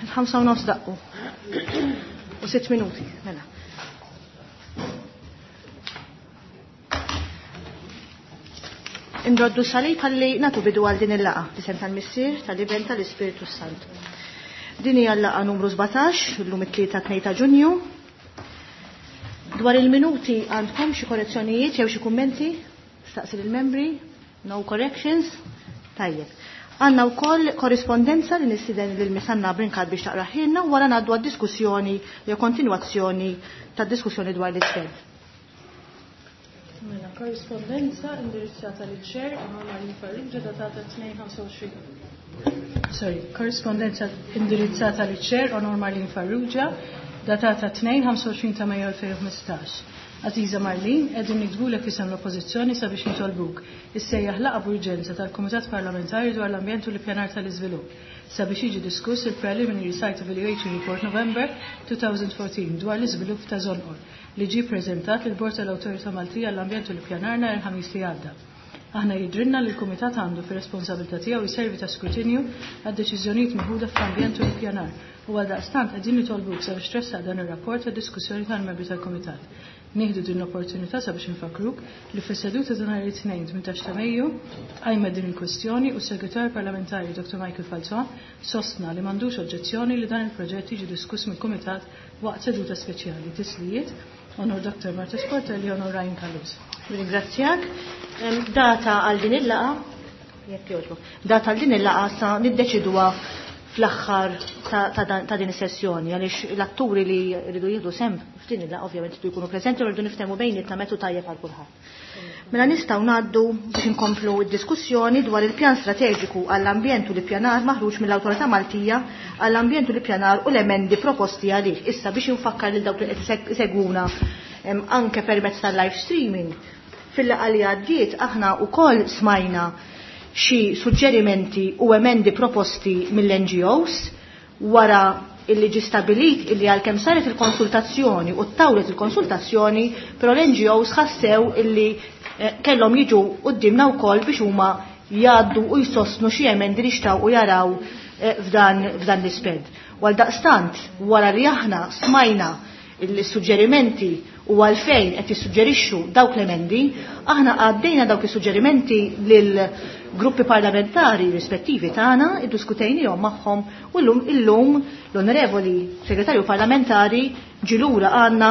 Il-5:30 daqqu. U 6 minuti, mela. Indoddu salib ħalli natu bidu għal din il-laqa, tisem tal-Missier, tal-Iben, tal-Ispirtu Santu. Din hija l-laqa numru 17, illum it-tlieta 2 ta' Ġunju. Dwar il-minuti għandkom xi korrezzjonijiet jew xi kummenti? Staqsi lill-membri? No corrections? Tajjeb. Għandna wkoll korrispondenza li nistieden lil Misanna Brincat biex taqraħilna u wara ngħaddu għad-diskussjoni jew kontinwazzjoni tad-diskussjoni dwar l-isped. Mela, korrispondenza indirizzata liċ Chair Emanuel Farrugia datata 2-25. Sorry, korrispondenza indirizzata liċ Chair Onor Marlene Farrugia datata 2-25 ta' Mejju 2015. Aziza Marlene, qegħdin niktbulek isem l-Oppożizzjoni sabiex nitolbuk issejjaħ laqgħa b'urġenza tal-Kumitat Parlamentari dwar l-Ambjent u l-Ippjanar tal-Iżvilupp sabiex jiġi diskuss il-Preliminary Site Evaluation Report November 2014 dwar l-iżvilupp ta' Żonqor li ġie ppreżentat lill-Bord tal-Awtorità Maltija għall-Ambjent u l-Ippjanar nhar il-Ħamis li għadda. Aħna jidhrilna li l-Kumitat għandu fir-responsabilità tiegħu jservi ta' skrutinju għad-deċiżjonijiet meħuda fl-ambjent u l-ippjanar u għaldaqstant qegħdin nitolbuk sabiex tressaq dan ir-rapport għad-diskussjoni tal-membri tal-Kumitat. Nieħdu din l-opportunità sabiex infakkruk li fis-seduta ta' nhar it-Tnejn 18 ta' Mejju tqajmet din il-kwestjoni u s-Segretarju Parlamentari Dr. Michael Falzon sostna li m'għandux oġġezzjoni li dan il-proġett jiġi diskuss mill-Kumitat waqt seduta speċjali. Tislijiet, Onor Dr. Marta Sportelli, Onor Ryan Callus. Ringrazzjak. Data għal din il-laqa, jekk jogħġbok, data għal din il-laqa sa niddeċiduha fl-aħħar ta' din is-sessjoni għaliex l-atturi li rridu jieħdu sem f'din il-laqgħa ovvjament iridu jkunu preżenti u rridu niftehmu bejnietna metu tajjeb għal kulħadd. Mela nistgħu ngħaddu biex inkomplu d-diskussjoni dwar il-pjan strateġiku għall-ambjent u l-ippjanar maħruġ mill-Awtorità Maltija għall-Ambjent u l-Ippjanar u l-emendi proposti għalih. Issa biex infakkar lil dawk li qed isegwuna anke permezz tal-live streaming. Fil-laqgħa li għaddiet aħna wkoll smajna xi suġġerimenti u emendi proposti mill-NGOs wara illi ġi stabilit illi għalkemm saret il-konsultazzjoni u ttawlet il-konsultazzjoni, però l-NGOs ħassew illi kellhom jiġu quddiemna wkoll biex huma jgħaddu u jsostnu xi emendi li xtaqu jaraw f'dan l-isped. U għaldaqstant wara li aħna smajna il-suġġerimenti u għalfejn qed jissuġġerixxu dawk l-emendi, aħna għaddejna dawk is-suġġerimenti lil gruppi parlamentari rispettivi tagħna, iddiskutejnihom magħhom u llum illum l-Onorevoli Segretarju Parlamentari ġilura għandna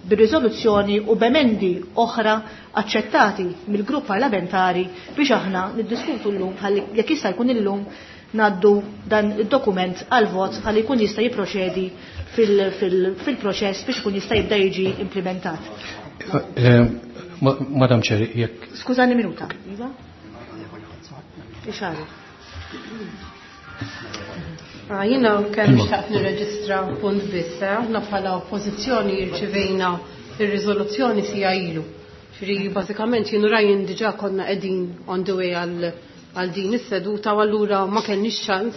bir-riżoluzzjoni u b'emendi oħra aċċettati mill-grupp parlamentari biex aħna niddiskutu llum ħalli jekk jista' jkun illum ngħaddu dan id-dokument għal vot ħalli jkun jista' jipproċedi fil-proċess biex ikun jista' jibda jiġi implementat. Madam Chair, jekk Skużani minuta. Iva? Ixaru. Jiena kemm xtaqt nirreġistra punt biss, aħna bħala oppożizzjoni rċivejna ir-riżoluzzjoni sija ilu. Ġifieri bażikament jien u Ryan diġà konna qegħdin on the way għal din is-seduta u allura ma kellniex ċans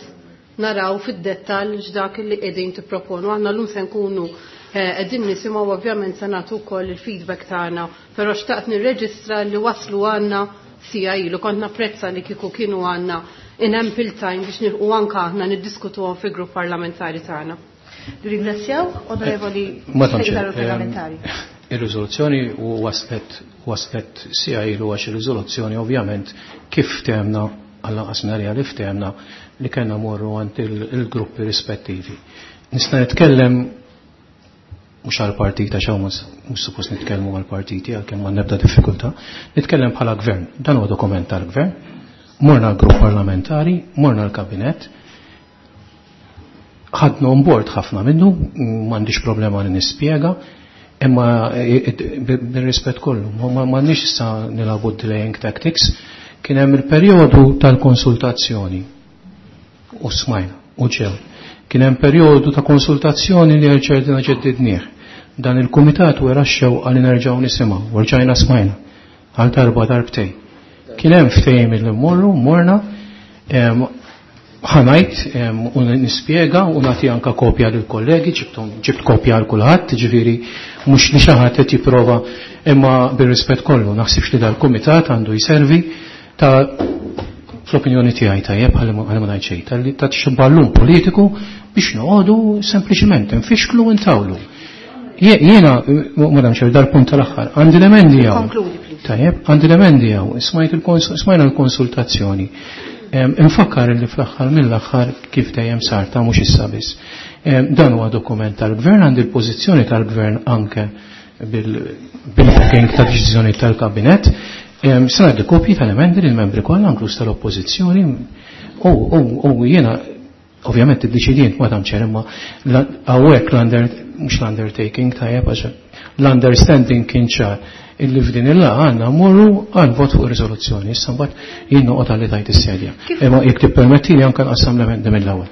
naraw fid-dettall x'dak li qegħdin tipproponu. Aħna llum se nkunu qegħdin nisimgħu ovvjament se nagħtu wkoll il-feedback tagħna, però xtaqt nirreġistra li waslu għandna sija ilu, kont napprezza li kieku kienu għandna in ample time biex nilqu anke aħna niddiskutuhom fil-grupp parlamentari tagħna. Ringrazzjaw, onorevoli Madam Chair, segretarju parlamentari. Ir-riżoluzzjoni u waslet sija ilu għax ir-riżoluzzjoni ovvjament kif ftehmna għall-anqas nhar li ftehmna li kellna morru għand il-gruppi rispettivi. Nista' nitkellem mhux għall-partit għax hawn mhux suppost nitkellmu għall-partiti għalkemm ma nebda diffikultà, nitkellem bħala gvern. Dan huwa dokument tal-gvern, morna l-grupp parlamentari, morna l-kabinett, ħadna on board ħafna minnu, m'għandix problema li nispjega, imma bir-rispett kollu, m'għandniex issa nilagħbu delaying tactics, kien hemm il-perjodu tal-konsultazzjoni u smajna u ġew. Kien hemm perjodu ta' konsultazzjoni li rċerdina ġeddidnieh. Dan il-kumitat wera x-xewqa li nerġgħu nisimgħu, u rġajna smajna għal darba darbtej. Kien hemm ftehim li mmorru, morna, ħanajt u nispjega u nagħti anka kopja lil kollegi, ġibt kopja għal kulħadd, ġifieri mhux li xi ħadd qed jipprova, imma bir-rispett kollu naħsibx li dal-kumitat għandu jservi ta' fl-opinjoni tiegħi tajjeb ħalli ma ngħid xejn, ta' xi ballun politiku biex noqogħdu sempliċiment nfixklu u ntawlu. Jiena, Madam Chair, dal-punt tal-aħħar, għandi l-emendi hawn. Tajjeb, għandi l-emendi hawn, smajna l-konsultazzjoni. Infakkar li fl-aħħar mill-aħħar kif dejjem sar ta' mhux issa biss. Dan huwa dokument tal-gvern, għandi l-pożizzjoni tal-gvern anke bil-booking ta' deċiżjoni tal-kabinet. Se ngħaddi kopji tal-emendi lill-membri kollha inkluż tal-oppożizzjoni u jiena ovvjament iddeċidejt Madam Chair imma hawnhekk mhux l-undertaking tajjeb għax l-understanding kien ċar illi f'din il-laqgħa għandna mmorru għal vot fuq ir-riżoluzzjoni. Issa mbagħad jien noqgħod għalli tajt is-sedja. Imma jekk tippermettili anke nqassam l-emendi mill-ewwel.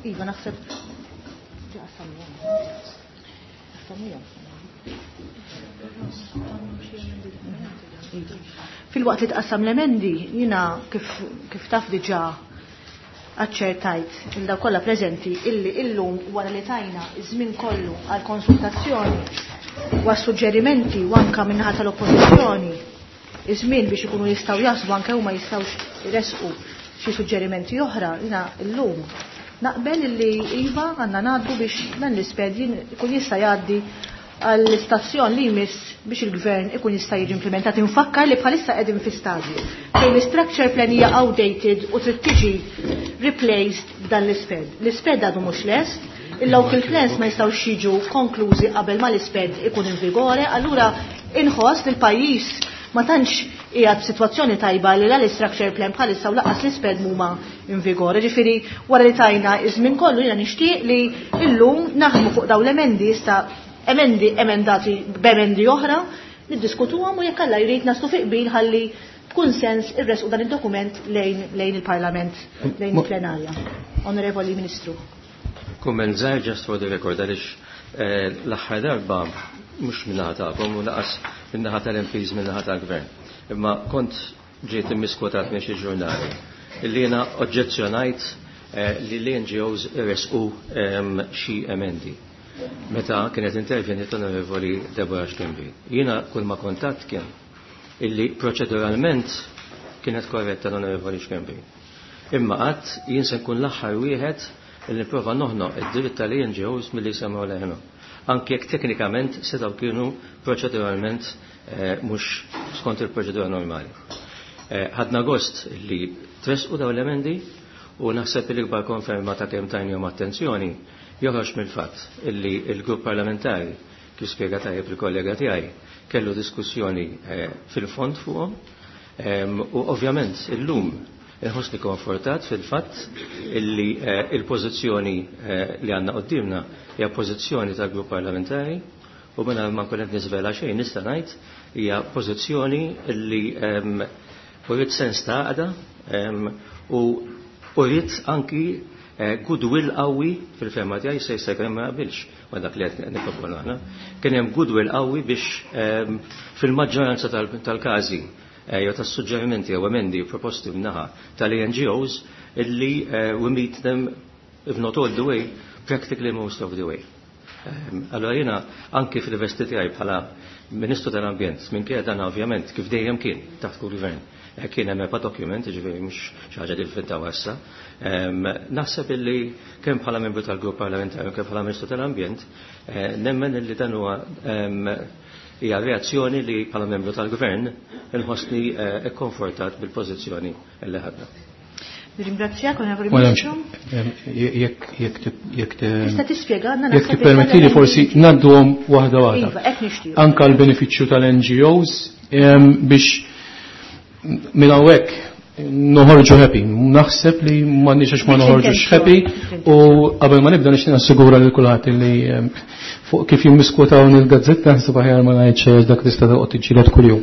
Iva naħseb Fil-waqt li tqassam l-emendi, jiena kif taf diġà aċċertajt il daw kollha preżenti illi illum wara li tajna iż-żmien kollu għal konsultazzjoni u għas-suġġerimenti u anke min-naħa tal-oppożizzjoni iż-żmien biex ikunu jistgħu jaħsbu anke huma jistgħux jressqu xi suġġerimenti oħra, jiena illum naqbel illi iva għandna ngħaddu biex dan l-isped ikun jista' jgħaddi għall-istazzjon li jmiss biex il-gvern ikun jista' jiġi implementat. Infakkar li bħalissa qegħdin fi stadju fejn l-structure plan hija outdated u trid tiġi replaced b'dan l-isped. L-isped għadu mhux lest, il-local plans ma jistgħux jiġu konklużi qabel ma l-isped ikun in vigore, allura inħoss li l-pajjiż ma tantx qiegħed f'sitwazzjoni tajba li l-structure plan bħalissa u laqas l-isped huma in vigore. Ġifieri wara li tajna iż-żmien kollu jiena nixtieq li llum naħdmu fuq dawn l-emendi issa emendi emendati b'emendi oħra, niddiskutuhom u jekk Alla jrid naslu fi qbil ħalli b'kunsens irresqu dan id-dokument lejn il-Parlament, lejn il-plenarja. Onorevoli Ministru. Kumment żgħir just for the record għaliex l-aħħar darba mhux min-naħa tagħkom u laqas min-naħa tal-MPs min-naħa tal-Gvern. Imma kont ġiet immiskwotat minn xi ġurnali illi jiena oġġezzjonajt li l-NGOs irresqu xi emendi. Meta kienet intervjeniet l-Onorevoli Deborah Schembri. Jiena kull ma kontatt kien illi proċeduralment kienet korretta l-Onorevoli Schembri. Imma qatt jien se nkun l-aħħar wieħed illi nipprova noħnoq id-dritt tal-NGOs milli jsemgħu leħenhom. Anke jekk teknikament setgħu kienu proċeduralment mhux skont il-proċedura normali. Ħadna gost li tresqu dawn l-emendi u naħseb li l-ikbar konferma ta' kemm tajnihom attenzjoni joħroġ mill-fatt illi il-grupp parlamentari, kif spjega tajjeb il-kollega tiegħi, kellu diskussjoni fil-fond fuqhom u ovvjament illum inħossni konfortat fil-fatt illi il-pożizzjoni li għandna quddiemna hija pożizzjoni tal-grupp parlamentari u mingħajr ma nkun qed niżvela xejn nista' ngħid hija pożizzjoni illi uriet sens ta' għaqda u uriet anki goodwill qawwi fil-fehma tiegħi se jista' jkun ma jaqbilx ma' dak li qed nipproponu aħna. Kien hemm goodwill qawwi biex fil-maġġoranza tal-każi jew tas-suġġerimenti jew emendi proposti min-naħa tal-NGOs illi we meet them, if not all the way, practically most of the way. Allora jiena anki fil-vesti tiegħi bħala Ministru tal-Ambjent, minkejja dan ovvjament kif dejjem kien taħt kull gvern, kien hemm EPA document, jiġifieri mhux xi ħaġa li nfintaw issa. Naħseb illi kemm bħala membru tal-grupp parlamentari u kemm bħala Ministru tal-Ambjent, nemmen illi dan huwa hija reazzjoni li bħala membru tal-gvern inħossni ikkonfortat bil-pożizzjoni li ħadna. Nirringrazzjak, Onorevoli Ministru. Jekk Tista' tispjega għandna jekk tippermettili forsi ngħadduhom waħda waħda. Iva, hekk nixtieq. Anka l-benefiċċju tal-NGOs biex minn hawnhekk noħorġu happy. Naħseb li m'għandniex għax ma noħorġux happy u qabel ma nibda nixtieq nassigura lil kulħadd li fuq kif jimmiskwotawni il-gazzetta naħseb aħjar ma ngħid xejn dak tista' toqgħod tiġġieled kuljum.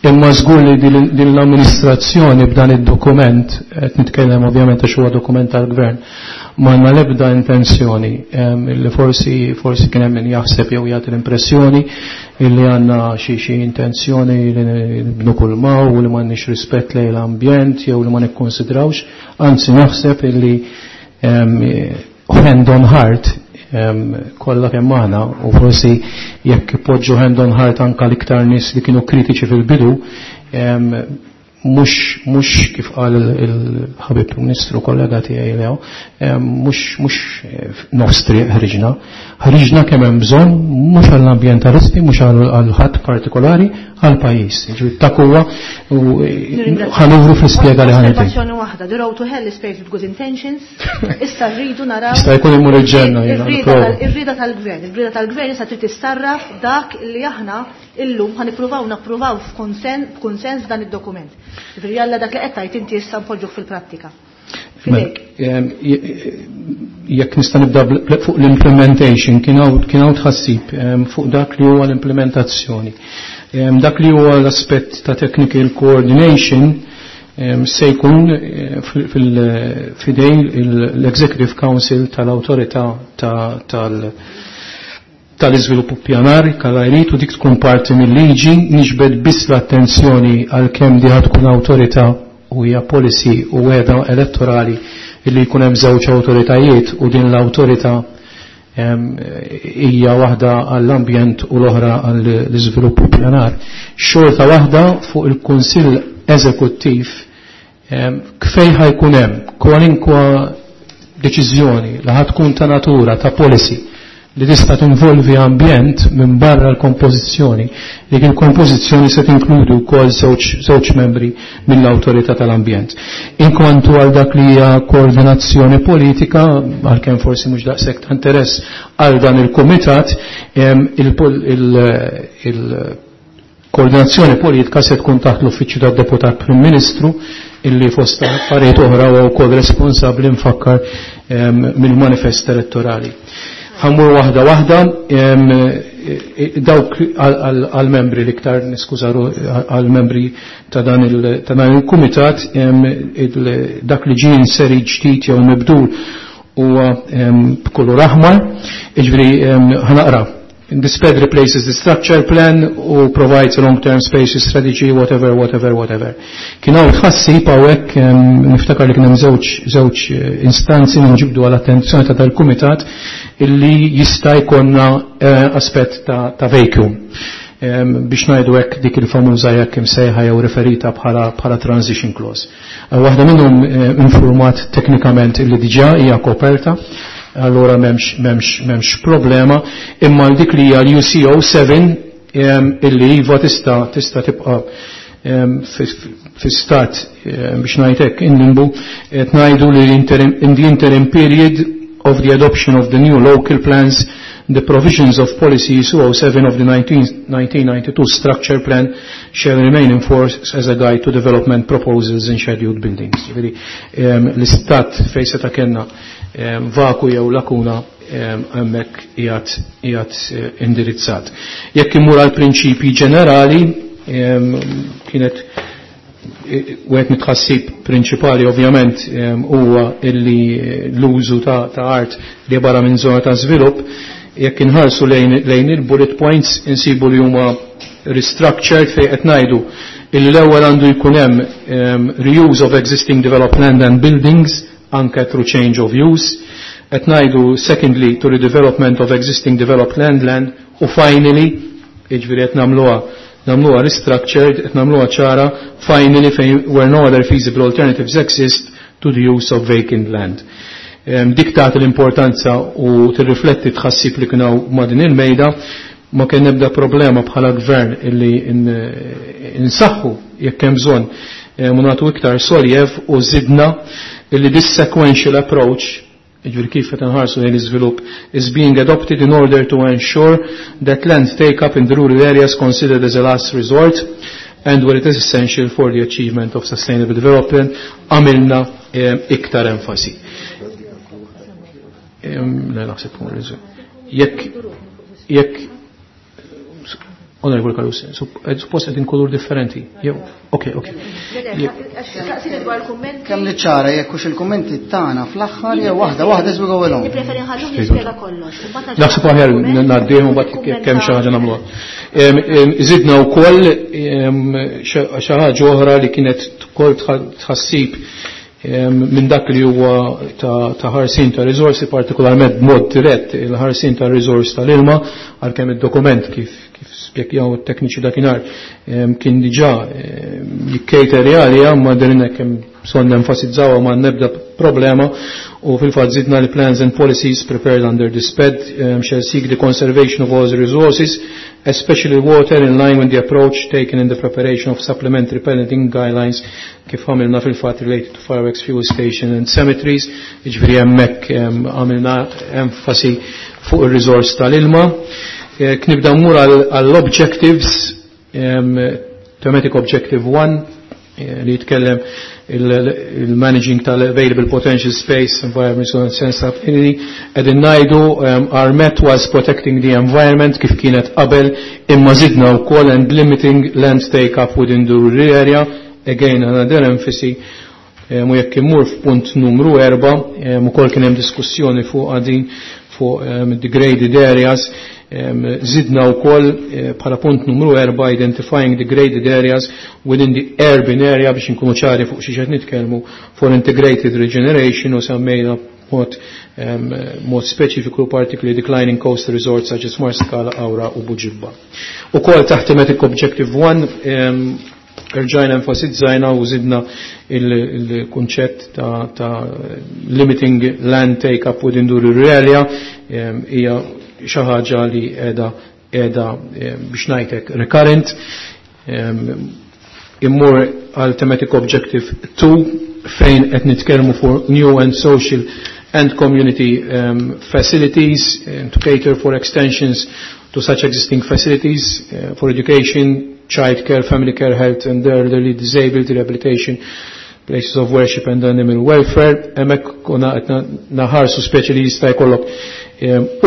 Imma żgur li din l-amministrazzjoni b'dan id-dokument, qed nitkellem ovvjament għax huwa dokument tal-gvern, m'għandna l-ebda intenzjoni li forsi kien hemm min jaħseb jew jagħti l-impressjoni illi għandna xi intenzjoni li nibnu kull maw u li m'għandniex rispett lejn l-ambjent jew li ma nikkonsidrawx, anzi naħseb illi hand on heart kollha kemm aħna u forsi jekk ipoġġu hand on heart anka l-iktar nies li kienu kritiċi fil-bidu, Mhux kif qal il-ħabib Ministru kollega tiegħi Leo, mhux nofs triq ħriġna. Ħriġna kemm hemm bżonn mhux għall-ambjentalisti, mhux għal ħadd partikolari, għall-pajjiż. Ġifieri dak huwa u ħa nuru fl-ispjega li ħa nagħti. Osservazzjoni waħda, the road to hell is paved with good intentions. Issa rridu naraw. Jista' jkun imur il-ġenna jiena. Ir-rieda tal-gvern, ir-rieda tal-gvern issa trid tissarraf dak li aħna illum ħa nippruvaw napprovaw f'kunsens dan id-dokument. Ġifieri jalla dak li qed tgħid inti issa npoġġuh fil-prattika. Mela, jekk nista' nibda fuq l-implementation, kien hawn tħassib fuq dak li huwa l-implementazzjoni. Dak li huwa l-aspett ta' technical coordination se jkun fidejn l-Executive Council tal-Awtorità tal-iżvilupp pjanar kalajrit u dik tkun parti mill-liġi. Niġbed biss l-attenzjoni għal kemm di tkun awtorità u hija policy u wegħda elettorali illi jkun hemm żewġ awtoritajiet u din l-awtorità hija waħda għall-ambjent u l-oħra għall-iżvilupp pjanar. Xorta waħda fuq il-Kunsill Eżekuttiv kfej ħajkun hemm kwalinkwa deċiżjoni li ħad tkun ta' natura ta' policy li tista' tinvolvi ambjent minn barra l-kompożizzjoni, dik il-kompożizzjoni se tinkludi wkoll żewġ membri mill-awtorità tal-ambjent. Inkwantu għal dak li hija koordinazzjoni politika, għalkemm forsi mhux daqshekk ta' interess għal dan il-kumitat, il-koordinazzjoni politika se tkun taħt l-uffiċċju tad-Deputat Prim Ministru illi fost affarijiet oħra huwa wkoll responsabbli nfakkar mill-manifest elettorali. Ħa mmur waħda waħda dawk għal-membri l-iktar niskuża għal-membri ta' dan il-kumitat, dak li ġie inseri ġdid jew mibdul huwa b'kulur aħmar, jiġifieri ħa naqra. This PED replaces the structure plan u provides a long-term spaces strategy, whatever, whatever, whatever. Kien hawn tħassib hawnhekk, niftakar li kien hemm żewġ instanzi li nġibdu għal attenzjoni ta' dal-kumitat illi jista' jkollna aspett ta' vacuum. Biex ngħidu hekk dik il-famuża jekk imsejħa jew referita bħala transition clause. Waħda minnhom informat teknikament illi diġà hija koperta, allora m'hemmx problema, imma dik li hija l-UCO 7 illi iva tista' tibqa' fi stat biex ngħid hekk in limbo, qed ngħidu li in the interim period of the adoption of the new local plans, the provisions of policy 207 of the 1992 structure plan shall remain in force as a guide to development proposals in scheduled buildings. Ġifieri, l-istat fejn seta' kellna vaku jew lakuna hemmhekk qiegħed indirizzat. Jekk imur għal prinċipji ġenerali, kienet wieħed mit-tħassib prinċipali ovvjament huwa illi l-użu ta' art li barra minn żona ta' żvilupp, jekk inħarsu lejn il-bullet points insibu li huma restructured fejn qed ngħidu illi l-ewwel għandu jkun hemm reuse of existing developed land and buildings anke through change of use. Qed ngħidu secondly to redevelopment of existing developed land u finally, jiġifieri qed nagħmluha restructured, qed nagħmluha ċara, finally fejn where no other feasible alternatives exist to the use of vacant land. Dik tagħti l-importanza u tirrifletti tħassib li kienu ma' din il-mejda, ma kien nebda problema bħala gvern illi insaħħu jekk hemm bżonn u nagħtu iktar soljev u żidna illi this sequential approach, jiġifieri kif qed inħarsu lejn l-iżvilupp, is being adopted in order to ensure that land take up in the rural areas considered as a last resort and where it is essential for the achievement of sustainable development. Għamilna iktar enfasi. Le, naħseb hu Jekk Onorevole Carus, suppost qegħdin kulur differenti. Jew, ok. Kemm li ċara jekk hux il-kummenti tagħna fl-aħħar jew waħda waħda as we go along. Nippreferi nħallu nispjega kollox. Naħseb aħjar ngħaddihom u mbagħad kemm xi ħaġa nagħmluha. Żidna wkoll xi ħaġa oħra li kienet ukoll tħassib. minn dak li huwa ta' ħarsin ta' riżorsi, partikolarment b'mod dirett il-ħarsin ta' riżors tal-ilma, għalkemm id-dokument kif spjegaw it-tekniċi dakinhar kien diġà jikkejteri għalija, ma derinna kemm bżonn nenfasizzaw ma nebda problema, u fil-fatt żidna li plans and policies prepared under this PED shall seek the conservation of all the resources, especially water, in line with the approach taken in the preparation of supplementary parenting guidelines kif għamilna fil-fatt related to fireworks, fuel station and cemeteries. Jiġifieri hemmhekk għamilna enfasi fuq ir-riżors tal-ilma. Knibda mmur għall-objectives, thematic objective 1 li jitkellem il-managing tal-available potential space, environment and sense of unity. Qegħdin ngħidu our met was protecting the environment kif kienet qabel, imma żidna wkoll and limiting land take up within the rural area, again another emphasis. U jekk immur f'punt numru 4, ukoll kien hemm diskussjoni fuq għadin fuq degraded areas, zidna wkoll bħala punt numru 4 identifying degraded areas within the urban area biex inkunu ċari fuq xi qed nitkellmu for integrated regeneration, u semmejna mod speċifiku particularly declining coastal resorts such as Marskala, Qawra u Buġibba. Ukoll taħt thematic objective 1 rġajna enfasizzajna u zidna il-kunċett ta' limiting land take up within the rural area, hija xi ħaġa li qiegħda biex ngħidlek recurrent. Immur għal thematic objective 2 fejn qed nitkellmu for new and social and community facilities to cater for extensions to such existing facilities for education, child care, family care, health and elderly, disabled rehabilitation, places of worship and animal welfare. Hemmhekk konna qed naħarsu speċi li jista' jkollok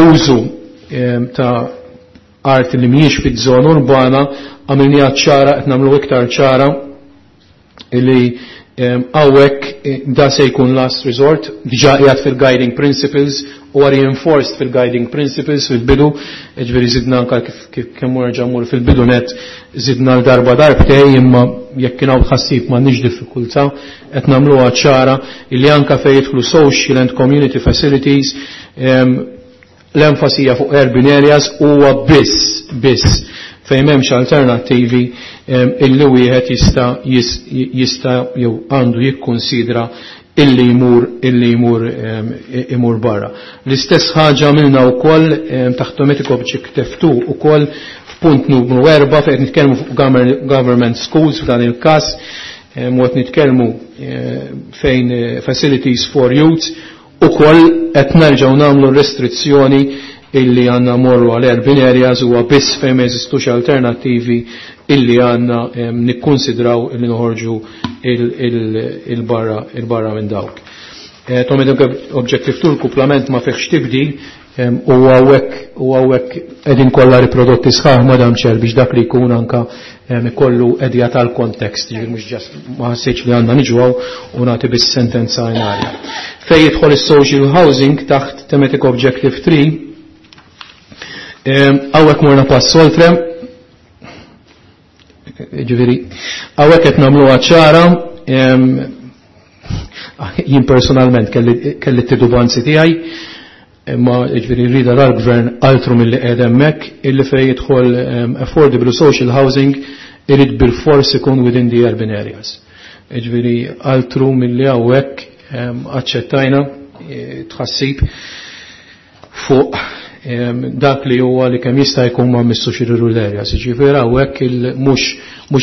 użu ta' art li mhijiex fiż-żona urbana, għamilniha ċara, qed nagħmlu iktar ċara li hawnhekk da se jkun last resort, diġà qiegħed fil-guiding principles u reinforced fil-guiding principles fil-bidu, ġifieri żidna anke kif kemm nerġa' mmur fil-bidu net żidna l-darba darbtej, imma jekk kien hawn tħassib m'għandniex diffikultà, qed nagħmluha ċara illi anke fejn jidħlu social and community facilities, l-enfasi hija fuq urban areas huwa biss fejn m'hemmx alternattivi illi wieħed jista' jew għandu jikkonsidra illi jmur barra. L-istess ħaġa għamilna wkoll taħt thematic objective 2 ukoll f'punt numru 4 fejn qed nitkellmu fuq government schools f'dan il-każ, u qed nitkellmu fejn facilities for youth, ukoll qed nerġgħu nagħmlu restrizzjoni illi għandna morru għal urban areas huwa biss fejn ma jeżistux alternattivi illi għandna nikkonsidraw illi noħorġu il-barra minn dawk. Thematic objective 2 l-kuplament ma fihx tibdil, u hawnhekk qegħdin kollha riprodotti sħaħ Madam Chair biex dak li jkun anka ikollu edja tal-kontekst, ġifieri mhux ġast ma ħassejtx li għandna niġu hawn u nagħti biss sentenza in arja. Fejn jidħol is-social housing taħt thematic objective 3, hawnhekk morna pass oltre, ġifieri hawnhekk qed nagħmluha ċara, jien personalment kelli t-titubanzi tiegħi, imma ġifieri rida dal-gvern altru mill-li qiegħed hemmhekk illi fejn jidħol affordable social housing irid bil-fors ikun within the urban areas. Ġifieri altru mill-li hawnhekk aċċettajna tħassib fuq dak li huwa li kemm jista' jkun ma missux ir-rural areas. Ġifieri hawnhekk mhux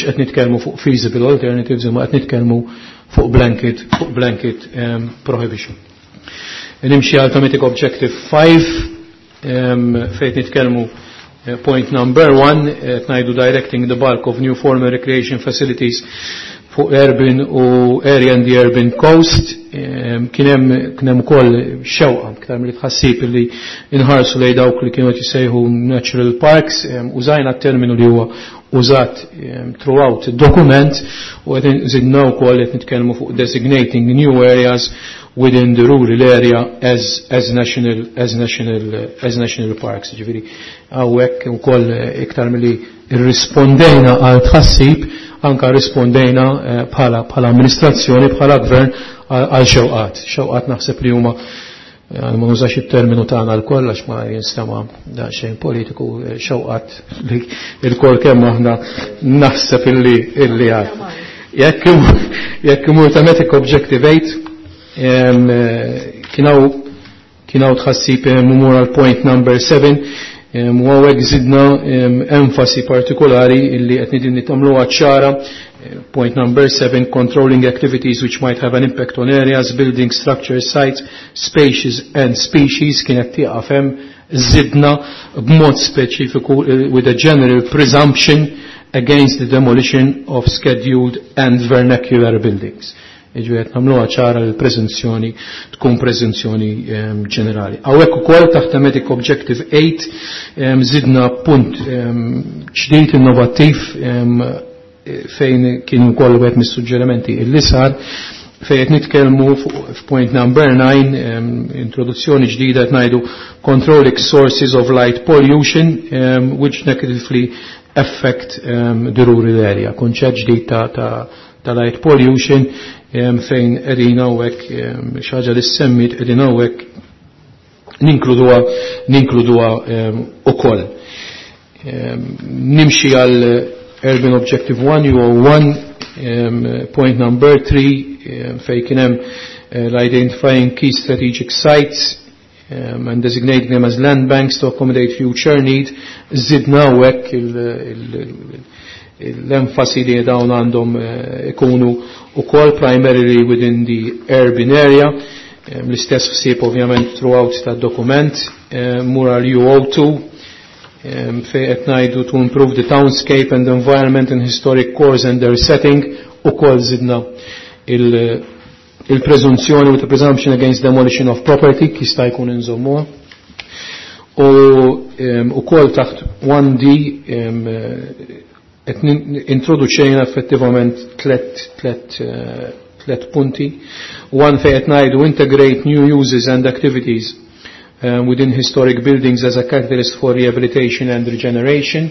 qed nitkellmu fuq feasible alternatives imma qed nitkellmu fuq blanket prohibition. Nimxi għal thematic objective 5, fejn nitkellmu point number 1, ngħidu directing the bulk of new formal recreation facilities fuq urban u area and the urban coast. Kien hemm ukoll xewqa iktar milli tħassib li inħarsu lejn dawk li kienu qed jissejħu natural parks, użajna t-terminu li huwa użat throughout id-dokument u qed żidna wkoll qed nitkellmu fuq designating new areas within the rural area as national parks. Ġifieri hawnhekk ukoll iktar milli irrispondejna għal tħassib anka rispondejna bħala amministrazzjoni, bħala gvern għal xewqat. Xewqat naħseb li huma ma nużax it-terminu tagħna l-koll għax ma jinstema' daqsxejn politiku, xewqat li l-koll kemm aħna naħseb illi għad. Jekk imur thematic objective 8, kien hawn tħassib imur għal point number 7, u hawnhekk żidna enfasi partikolari illi qed nidin nitagħmluha ċara. Point number 7, controlling activities which might have an impact on areas, building structures, sites, spaces and species, kienet tieqaf hemm, żidna b'mod speċifiku with a general presumption against the demolition of scheduled and vernacular buildings. Jiġifieri qed nagħmluha ċara li l-preżunzjoni tkun preżunzjoni ġenerali. Hawnhekk ukoll taħt thematic objective 8 żidna punt ġdid innovattiv fejn kien ukoll wieħed mis-suġġerimenti illi sar, fejn qed nitkellmu f'point number 9, introduzzjoni ġdida qed ngħidu controlling sources of light pollution which negatively affect the rural area. Kunċett ġdid ta' light pollution fejn qegħdin hawnhekk xi ħaġa li semmit qegħdin hawnhekk ninkluduha ukoll. Nimxi għal Urban Objective 1, UO1, point number 3, fejn kien hemm l-identifying key strategic sites and designating them as land banks to accommodate future need. Zidna hawnhekk l-enfasi li dawn għandhom ikunu ukoll primarily within the urban area. L-istess ħsieb ovvjament throughout tad-dokument. Mur għal UO2, fejn qed ngħidu to improve the townscape and the environment in historic cores and their setting, ukoll zidna il-preżunzjoni with the presumption against demolition of property, jista' jkun inżommuha. U ukoll taħt 1D qed introduċejna effettivament tlet punti. One fejn qed ngħidu integrate new uses and activities within historic buildings as a catalyst for rehabilitation and regeneration,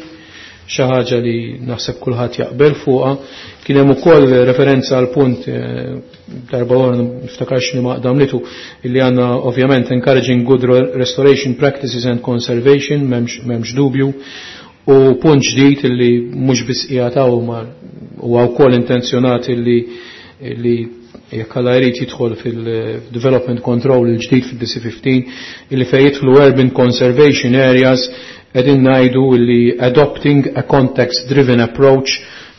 xi ħaġa li naħseb kulħadd jaqbel fuqha. Kien hemm ukoll referenza għal punt darba oħra niftakarx li maqdam litu illi għandna ovvjament encouraging good restoration practices and conservation, m'hemmx dubju. U punt ġdid illi mhux biss qiegħed hawn ma huwa wkoll intenzjonat illi jekk Alla jrid jidħol fil-development control il-ġdid fil-DC15, illi fejn jidħlu urban conservation areas, qegħdin ngħidu illi adopting a context-driven approach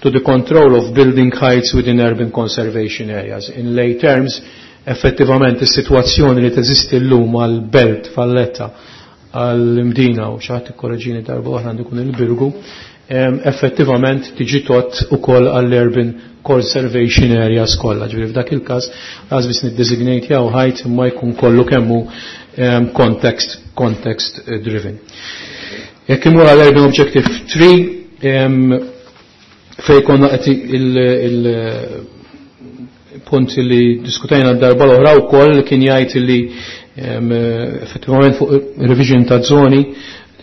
to the control of building heights within urban conservation areas. In lay terms, effettivament is-sitwazzjoni li teżisti llum għal-Belt Valletta, għall-Imdina u xi ħadd ikkoreġini darba oħra għandu jkun il-Birgu, effettivament tiġi tot ukoll għall-urban conservation areas kollha. Ġifieri f'dak il-każ lanqas biss niddesignate jew height imma jkun kollu kemm hu context driven. Jekk imur għal Urban Objective 3, fej konna qed il-punt li diskutajna d-darba l-oħra wkoll kien jgħid li effettivament fuq revision ta' zoni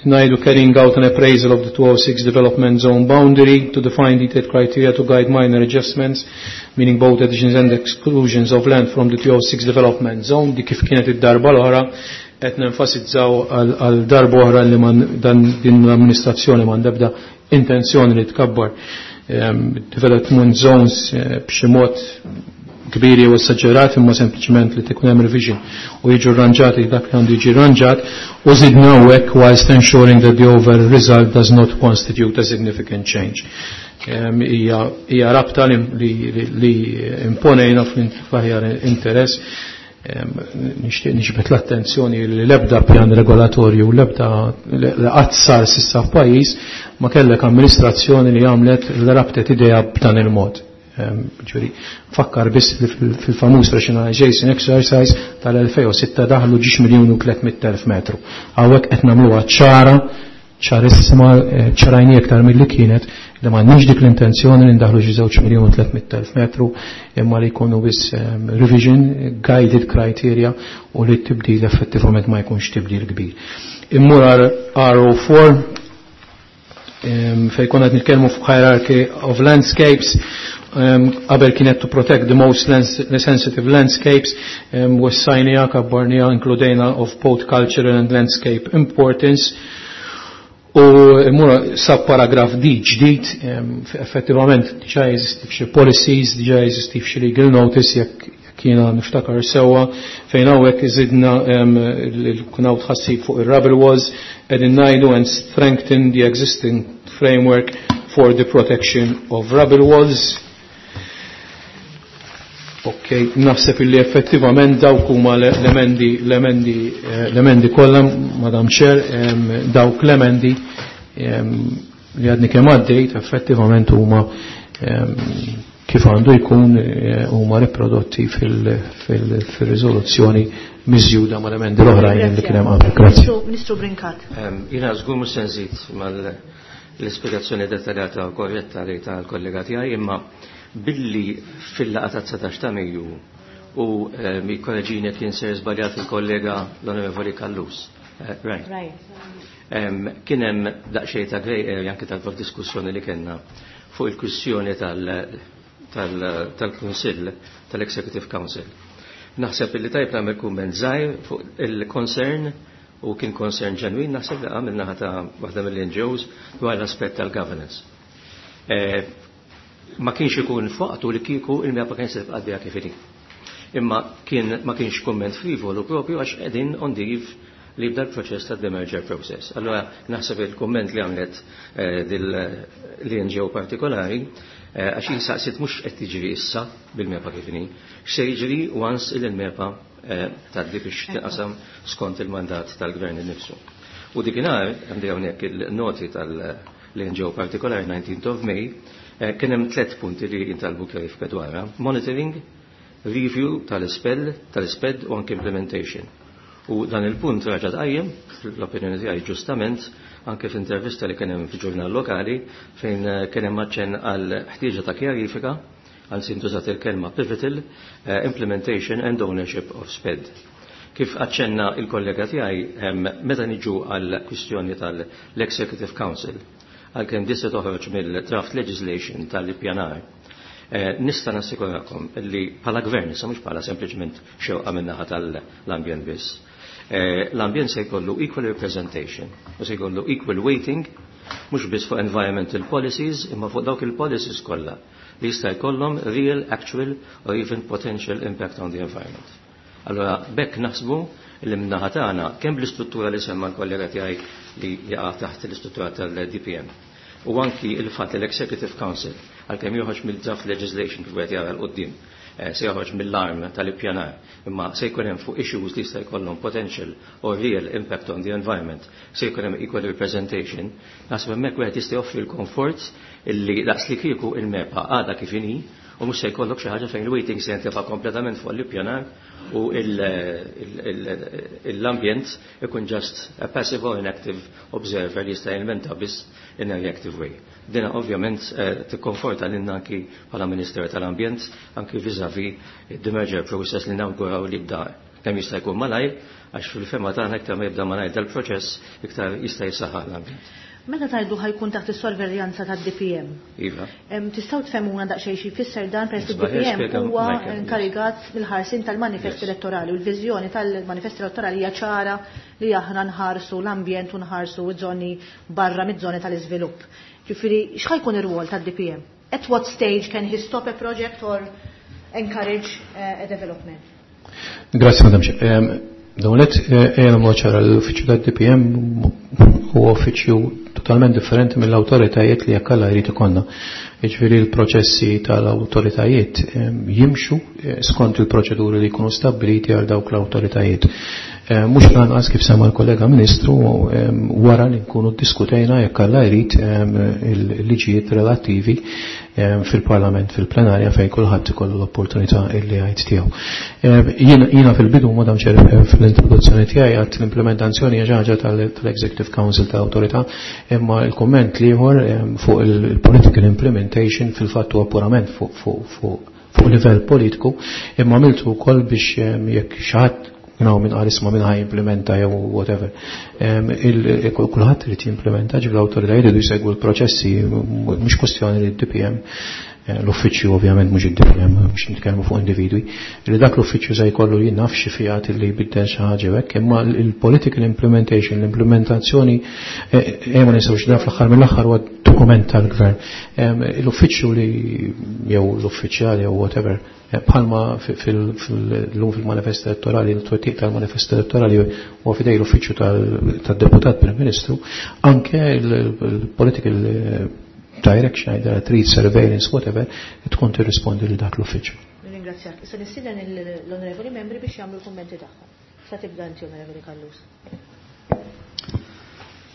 ngħidu carrying out an appraisal of the 206 development zone boundary to define detailed criteria to guide minor adjustments, meaning both additions and exclusions of land from the 206 development zone. Di kif kienet id-darba l-oħra qed nenfasizzaw għal darba oħra li dan din l-amministrazzjoni m'għandha ebda intenzjoni li tkabbar development zones b'xi mod kbiri u esaġerat, imma sempliċement li tkun hemm revision u jiġu rranġati dak li għandu jiġi rranġat, u żidna hekk whilst ensuring that the overall result does not constitute a significant change. Hija rabta li imponejna fl-aħjar interess. Nixtieq niġbed l-attenzjoni li l-ebda pjan regolatorju, l-ebda li qatt sar s'issa f'pajjiż ma kellek amministrazzjoni li għamlet li rabtet idea b'dan il-mod. Ġifieri, fakkar biss li fil-famuż rationalization exercise tal-2006 daħlu ġiex miljun u tliet elf metru. Hawnhekk qed nagħmluha ċara, ċarissima, ċarajni iktar milli kienet, li m'għandniex dik l-intenzjoni li ndaħlu xi 2,300,000 metru, imma li jkunu biss revision, guided criteria, u li t-tibdil effettivament ma jkunx tibdil kbir. Immur għal RO4, Fejn konna qed nitkellmu fuq hierarchy of landscapes, qabel kienet to protect the most sensitive landscapes, wessajnija, kabbarnija, inkludejna of both cultural and landscape importance. U mura sub paragraf D ġdid, effettivament diġà jeżisti f'xi policies, diġà jeżisti f'xi legal notice jekk jiena niftakar sewwa, fejn hawnhekk iżidna kien hawn tħassib fuq ir-rubble walls, qegħdin ngħidu and strengthen the existing framework for the protection of rubble walls. Ok, naħseb illi effettivament dawk huma l-emendi kollha, Madam Chair, dawk l-emendi li għadni kemm għaddejt effettivament huma kif għandu jkun huma riprodotti fil-riżoluzzjoni miżjuda mal-emendi l-oħrajn li kien hemm qabel. Grazzi. Ministru Brincat. Jiena żgur mhux se nżid mal-ispjegazzjoni dettaljata u korretta li tal-kollega tiegħi, imma billi fil-laqgħa ta' 19 ta' Mejju u jikkoreġini kien ser żbaljat il-kollega l-Onorevoli Callus. Right. Kien hemm daqsxejn ta' grey area anke tal-diskussjoni li kellna fuq il-kwistjoni tal-Kunsill, tal-Executive Council. Naħseb li tajb nagħmel kumment żgħir fuq il-concern, u kien concern ġenwin, naħseb li għamil naħa ta' waħda mill-NGOs dwar l-aspett tal-governance. Ma kienx ikun fuqtu li kieku il-MEPA kien se tibqa' għaddejja kif inhi. Imma ma kienx kumment frivolu propju għax qegħdin on the eve li jibda l-proċess ta' demerger process. Allora naħseb il-kumment li għamlet l-NGO partikolari, għax jinsaqsit mhux qed tiġri issa bil-MEPA kif inhi, x'se jiġri once il-MEPA tgħaddi biex tinqasam skont il-mandat tal-gvern innifsu. U dikinhar għandi hawnhekk il-noti tal-NGO partikolari 19th of May, kien hemm 3 punti li jintalbu kjarifika dwarha: monitoring, review tal-isped u anke implementation. U dan il-punt raġa' tqajjem, l-opinjoni tiegħi ġustament, anke f'intervista li kien hemm fil-ġurnal lokali fejn kien hemm aċċenn għal ħtieġa ta' kjarifika, għal sintużat il-kelma pivotal, implementation and ownership of SPED. Kif aċċenna il-kollega tiegħi, meta niġu għal kwistjoni tal-Executive Council, għalkemm disa toħroġ mill-draft legislation tal-ippjanar, nista' nassikurakom li bħala gvern, issa mhux bħala sempliċement xewqa min-naħa tal-ambjent biss. L-ambjent se jkollu equal representation u se jkollu equal weighting, mhux biss fuq environmental policies, imma fuq dawk il-policies kollha li jista' jkollhom real, actual or even potential impact on the environment. Allora, bekk naħsbu li min-naħa tagħna kemm bl-istruttura li semma l-kollega tiegħi li jaqa' taħt l-istruttura tal-DPM u anki il-fatt li l-Executive Council għalkemm joħroġ mill-draft legislation kif qed jara l-qudiem, se joħroġ mill-arm tal-ippjanar, imma se jkun hemm fuq issues li jista' jkollhom potential or real impact on the environment, se jkun hemm equal representation, naħseb hemmhekk wieħed jista' joffri l-komfort illi daqs li kieku il-MEPA għadha kif inhi u mhux se jkollok xi ħaġa fejn il-waiting se jintefa' kompletament fuq l-ippjanar u l-ambjent ikun just a passive or inactive observer li jista' jinventa biss in a reactive way. Dina ovvjament tikkonforta lilna anki bħala Ministeru tal-Ambjent anki vis-à-vis the merger process li nawguraw li jibda kemm jista' jkun malajr, għax fil-fema tagħna iktar ma jibda malajr dal-proċess iktar jista' jisaħħaħ l-ambjent. Meta tajdu ħajkun taħt is-sorveljanza tad-DPM? Iva. Tistgħu tfehmuna daqsxejn xi jfisser dan peress li Isbaħ, D P M jispjega huwa Michael, yes. inkarigat mill-ħarsin tal-manifest elettorali u l-viżjoni tal-manifest elettorali hija ċara li aħna nħarsu l-ambjent u nħarsu ż-żoni barra miż-żoni tal-iżvilupp. Ġifieri x'ħajkun ir-rwol tad-DPM? At what stage can he stop a project or encourage a development? Grazie, Madam Chair. Dawnet ejja nagħmlu ċara l-uffiċċju tad-DPM huwa uffiċċju totalment differenti mill-awtoritajiet li jekk Alla jrid ikollna. Jiġifieri l-proċessi tal-awtoritajiet jimxu skont il-proċeduri li jkunu stabbiliti għal dawk l-awtoritajiet. Mhux lanqas kif semma l-kollega Ministru wara li nkunu ddiskutejna jekk Alla jrid il-liġijiet relattivi fil-Parlament, fil-plenarja fejn kulħadd ikollu l-opportunità illi jgħid tiegħu. Jiena fil-bidu, Madam Chair, fl-introduzzjoni tiegħi għadt l-implementazzjoni hija xi ħaġa tal-Executive Council tal-Awtorità, imma l-kumment l-ieħor fuq il-political implementation fil-fatt huwa purament fuq livell politiku, imma għamiltu wkoll biex jekk xi ħadd Kien hawn min qal isma' min ħa jimplementa jew whatever. Kulħadd irid jimplementa, ġifieri l-awtoritajiet iridu jsegwu l-proċessi, mhux kwestjoni li d-DPM, l-uffiċċju ovvjament mhux id-DPM, mhux nitkellmu fuq individwi, li dak l-uffiċċju se jkollu jien naf xi fiat li jbiddel xi ħaġa hekk, imma l-political implementation, l-implementazzjoni, ma ninsewx dan fl-aħħar mill-aħħar huwa dokument tal-gvern. L-uffiċċju li jew l-uffiċjali jew whatever, bħalma fil-lum fil-manifest elettorali, il-twettiq tal-manifest elettorali huwa fidej l-uffiċċju tad-deputat Prim Ministru, anke il-political direction, either treat surveillance, whatever, tkun tirrispondi li dak l-uffiċċju. Ringrazzjak. Issa nistieden l-onorevoli membri biex jagħmlu l-kummenti tagħhom. Sa tibda inti, Onorevoli Callus.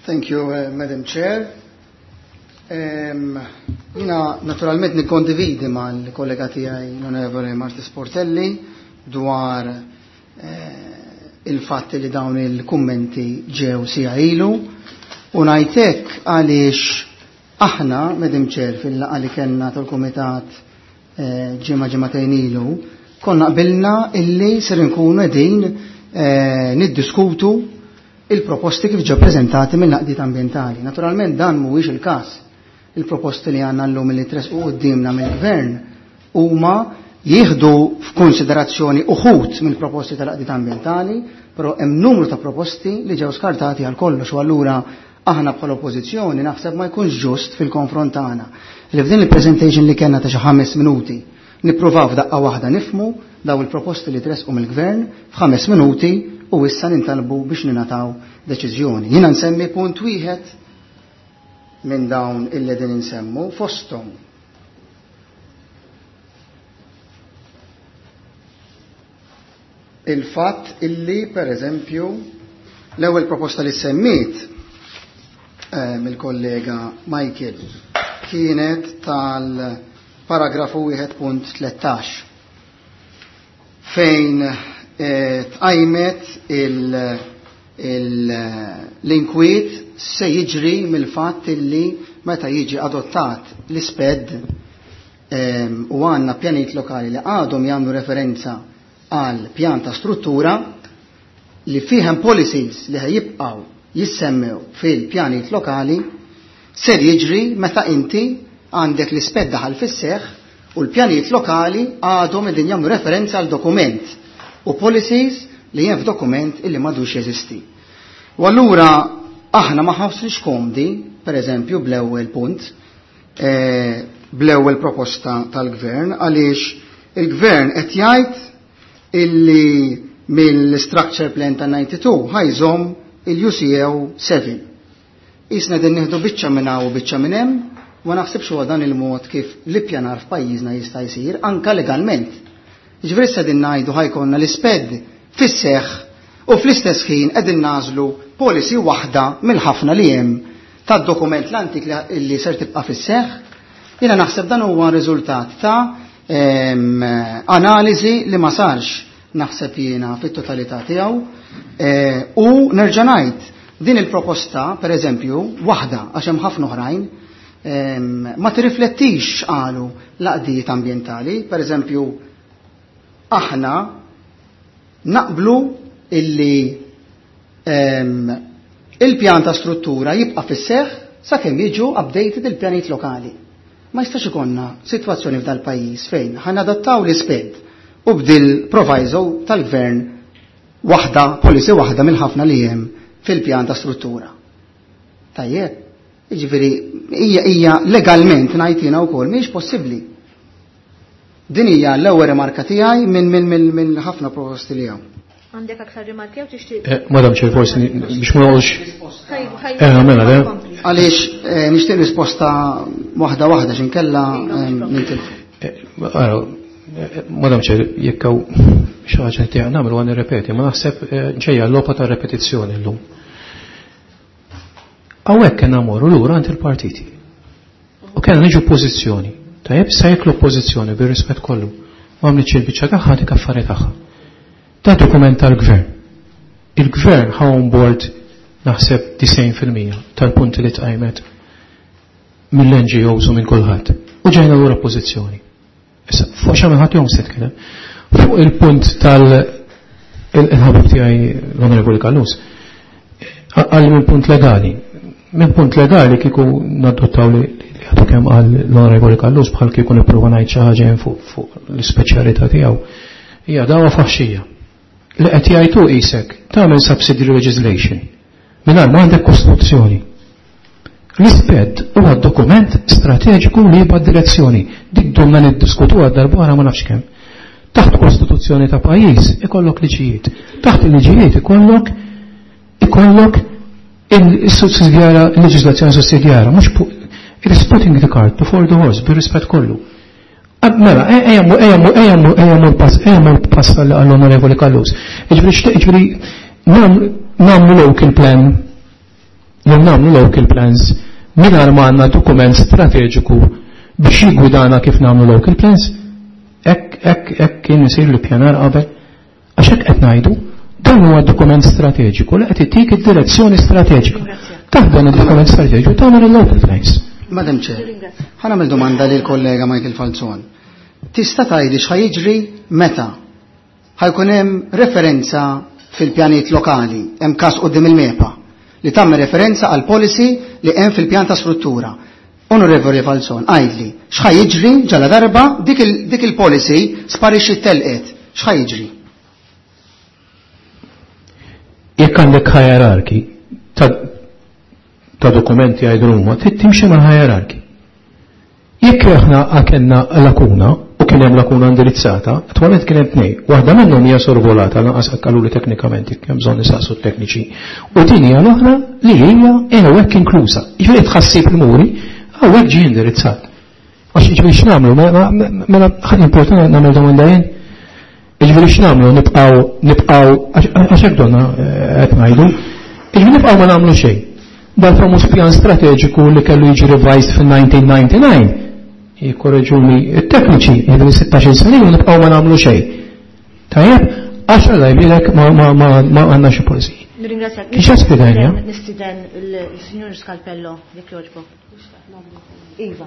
Thank you, Madam Chair. Jina naturalment nikkondividi mal-kollega tiegħi l-Onorevoli Marti Sportelli dwar il-fatt li dawn il-kummenti ġew sija ilu u ngħidlek għaliex aħna, Madam Chair, fil-laqgħa li kellna tal-Kumitat ġimgħa ġimagħtejn ilu, konna qbilna illi ser inkunu qegħdin niddiskutu il-proposti kif ġew preżentati mill-għaqdiet ambjentali. Naturalment dan mhuwiex il-każ. Il-proposti li għandna llum li tresqu quddiemna mill-gvern huma jieħdu f'konsiderazzjoni uħud mill-proposti tal-għaqdiet ambjentali, però hemm numru ta' proposti li ġew skartati għal kollox u allura aħna bħala oppożizzjoni naħseb ma jkunx ġust fil-konfront tagħna li f'din il-presentation li kellna ta' xi 5 minuti nippruvaw f'daqqa waħda nifmu daw il-proposti li tresqu mill-gvern f'ħames minuti u issa nintalbu biex ninataw deċiżjoni. Jiena nsemmi punt wieħed minn dawn illi din insemmu fosthom. Il-fatt illi, per eżempju, l-ewwel proposta li semmiet mill-kollega Michael kienet tal-paragrafu wieħed punt tlettax fejn tqajmet l-inkwiet se jiġri mill-fatt illi meta jiġi adottat l-isped u għandna pjanijiet lokali li għadhom jagħmlu referenza għal pjan ta' struttura li fihem policies li ħajibqgħu jissemmew fil-pjanijiet lokali, ser jiġri meta inti għandek l-isped daħal fis-seħħ u l-pjanijiet lokali għadhom qegħdin jagħmlu referenza għal dokument u policies li hemm f'dokument illi m'għadux jeżisti. U allura aħna ma ħassniex komdi, per eżempju, bl-ewwel punt, bl-ewwel proposta tal-gvern, għaliex il-gvern qed jgħid illi mill-structure plan ta' 92 ħajżomm il-UCO 7. Isna din nieħdu biċċa minn hawn u biċċa minn hemm, ma naħsibx huwa dan il-mod kif l-ippjanar f'pajjiżna jista' jsir anka legalment. Jiġifieri issa din ngħidu ħajkonna l-isped fis-seħħ u fl-istess ħin qegħdin nażlu policy waħda mill-ħafna li hemm tad-dokument l-antik li ser tibqa' fis-seħħ. Jiena naħseb dan huwa riżultat ta' analiżi li ma sarx naħseb jiena fit-totalità tiegħu. U nerġa' ngħid din il-proposta, per eżempju, waħda għax hemm ħafna oħrajn, ma tirriflettix qalu l-għaqdiet ambjentali. Per eżempju, aħna naqblu illi il-pjan ta' struttura jibqa' fis-seħħ sakemm jiġu updated il-pjanijiet lokali. Ma jistax ikollna sitwazzjoni f'dal pajjiż fejn ħa nadattaw l-isped u bdil proviso tal-gvern waħda, policy waħda mill-ħafna li hemm fil-pjan ta' struttura. Tajjeb, jiġifieri hija legalment ngħid jiena wkoll mhijiex possibbli. Din hija l-ewwel rimarka tiegħi minn ħafna proposti li hawn. Għandek aktar rimarki jew tixtieq? Madam Chair, forsi biex ma noqgħodx. Ħaj, ħaj, Mela, le. kompli. Għaliex nixtieq risposta waħda waħda x'inkella, Iva, mhux nintilfu. Madam Chair, jekk hawn xi ħaġa li nagħmlu għan nirrepeti, ma naħseb ġejja l-logħba ta' repetizzjoni llum. Hawnhekk kellna mmorru lura għand il-partiti. U kellna niġu pożizzjoni. Tajjeb, sa jekk l-oppożizzjoni bir-rispett kollu ma għamlitx il-biċċa tagħha dik affari tagħha. Da dokument tal-gvern. Il-gvern ħa on board naħseb disgħin fil-mija tal-punti li tqajmet mill-N G Os u minn kulħadd. U ġejna lura pożizzjoni. Issa, fuq xi ħadd jom se tkellem. Fuq il-punt Il-ħabib tiegħi l-Onorevoli Callus qal minn punt legali. Minn punt legali kieku nadottaw li għadu kemm qal l-Onorevoli Callus bħal kieku nipprova ngħid xi ħaġa fuq l-ispeċjalità tiegħu. Hija dawa faħxija. Li qed jgħidu qisek tagħmel subsidiary legislation mingħajr ma għandek kostituzzjoni. L-ISPED huwa dokument strateġiku li jibgħat direzzjoni. Dik domna niddiskutuha darba ma nafx kemm. Taħt kostituzzjoni ta' pajjiż ikollok liġijiet. Taħt il-liġijiet ikollok ikollok il-sussidjara, il-leġislazzjoni sussidjara, mhux it is putting the cart before the horse, bir-rispett kollu. Mela, ejja ejja pass, ejja pass għall-Onorevoli Callus. Iġifieri, nagħmlu local plan, jew nagħmlu local plans mingħajr ma għandna dokument strateġiku biex jigwidana kif nagħmlu local plans. Hekk, hekk, hekk kien isir l-pjanar qabel. Għax hekk qed ngħidu, dan huwa dokument strateġiku li qed ittik id-direzzjoni strateġika. Taħt dan id-dokument strateġiku tagħmel il-local plans. Madam Chair, ħa nagħmel domanda lil kollega Michael Falzon. Tista' tgħidli x'ħa jiġri meta ħa jkun hemm referenza fil-pjanijiet lokali, hemm każ quddiem il-MEPA li tagħmel referenza għal policy li hemm fil-pjan ta' struttura. Onorevoli Falzon, għidli, x'ħa jiġri ġala darba dik il-policy sparixxi telqet, x'ħa jiġri? Jekk għandek hierarchy ta' dokumenti għajdu huma, trid timxi mal hierarchy. Jekk aħna kellna lakuna u kien hemm lakuna indirizzata, attwalment kien hemm tnejn. Waħda minnhom hija sorvolata lanqas qaluli teknikament jekk hemm bżonn nisaqsu tekniċi. U din hija l-oħra li hija hawnhekk inkluża. Jiġifieri tħassib il-muri hawnhekk ġie indirizzat. Għax jiġifieri x'nagħmlu, mela ħadd importanti nagħmel domanda jien. Jiġifieri x'nagħmlu nibqgħu nibqgħu għax hekk donna qed ngħidu. Jiġifieri nibqgħu ma nagħmlu xejn. Dal-famuż pjan strateġiku li kellu jiġi revised fil-1999 jikkorreġuni it-tekniċi, jiġifieri 16 sena u nibqgħu ma nagħmlu xejn. Tajjeb, għax alla jbilek ma għandna xi polizija. Nirringrazzjak. Kif qed spjegajna? Nistieden il-Sinjur Scalpello, jekk jogħġbok. Iva,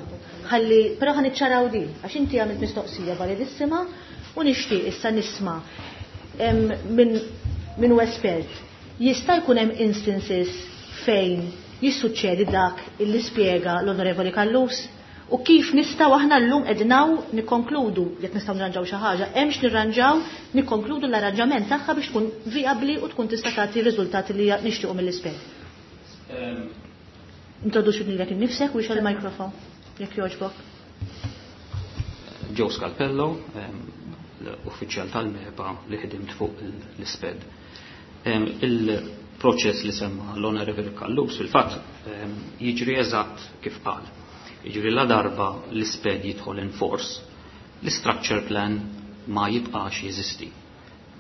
ħalli, però ħa niċċaraw din, għax inti għamilt mistoqsija validissima u nixtieq issa nisma' minn hu espert. Jista' jkun hemm instances fejn jissuċċedi dak illi spjega l-Onorevoli Callus? U kif nistgħu aħna llum qegħdin nikkonkludu jekk nistgħu nirranġaw xi ħaġa, hemmx nirranġaw nikkonkludu l-arranġament tagħha biex tkun vijabbli u tkun tista' tagħti r-riżultati li nixtiequ mill-ispert. Introduċi lilek innifsek u ixgħel il-mikrofon jekk jogħġbok. Joe Scalpello, l-uffiċjal tal-MEPA li ħdimt fuq l-ISPED. Il-proċess li semma l-Onorevoli Callus fil-fatt jiġri eżatt kif qal. Jiġri la darba l-ISPED jidħol in force, l-structure plan ma jibqax jeżisti.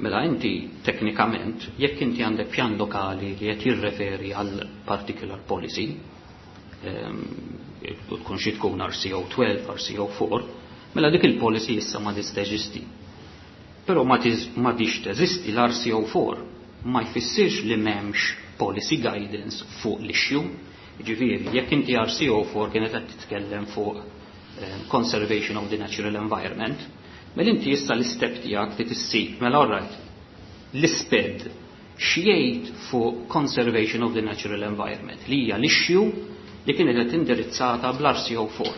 Mela inti teknikament, jekk inti għandek pjan lokali li qed jirreferi għal particular policy, tkun xi tkun RCO 12, RCO 4, mela dik il-policy issa ma teżisti. Però ma tix teżisti l-RCO 4 ma jfissirx li m'hemmx policy guidance fuq l-issue. Ġifieri, jekk inti RCO 4 kienet qed titkellem fuq conservation of the natural environment, mela inti issa l-istep tiegħek li tissib, mela alright, l-ISPED x'jgħid fuq conservation of the natural environment li hija l-issue li kienet qed indirizzata bl-RCO 4.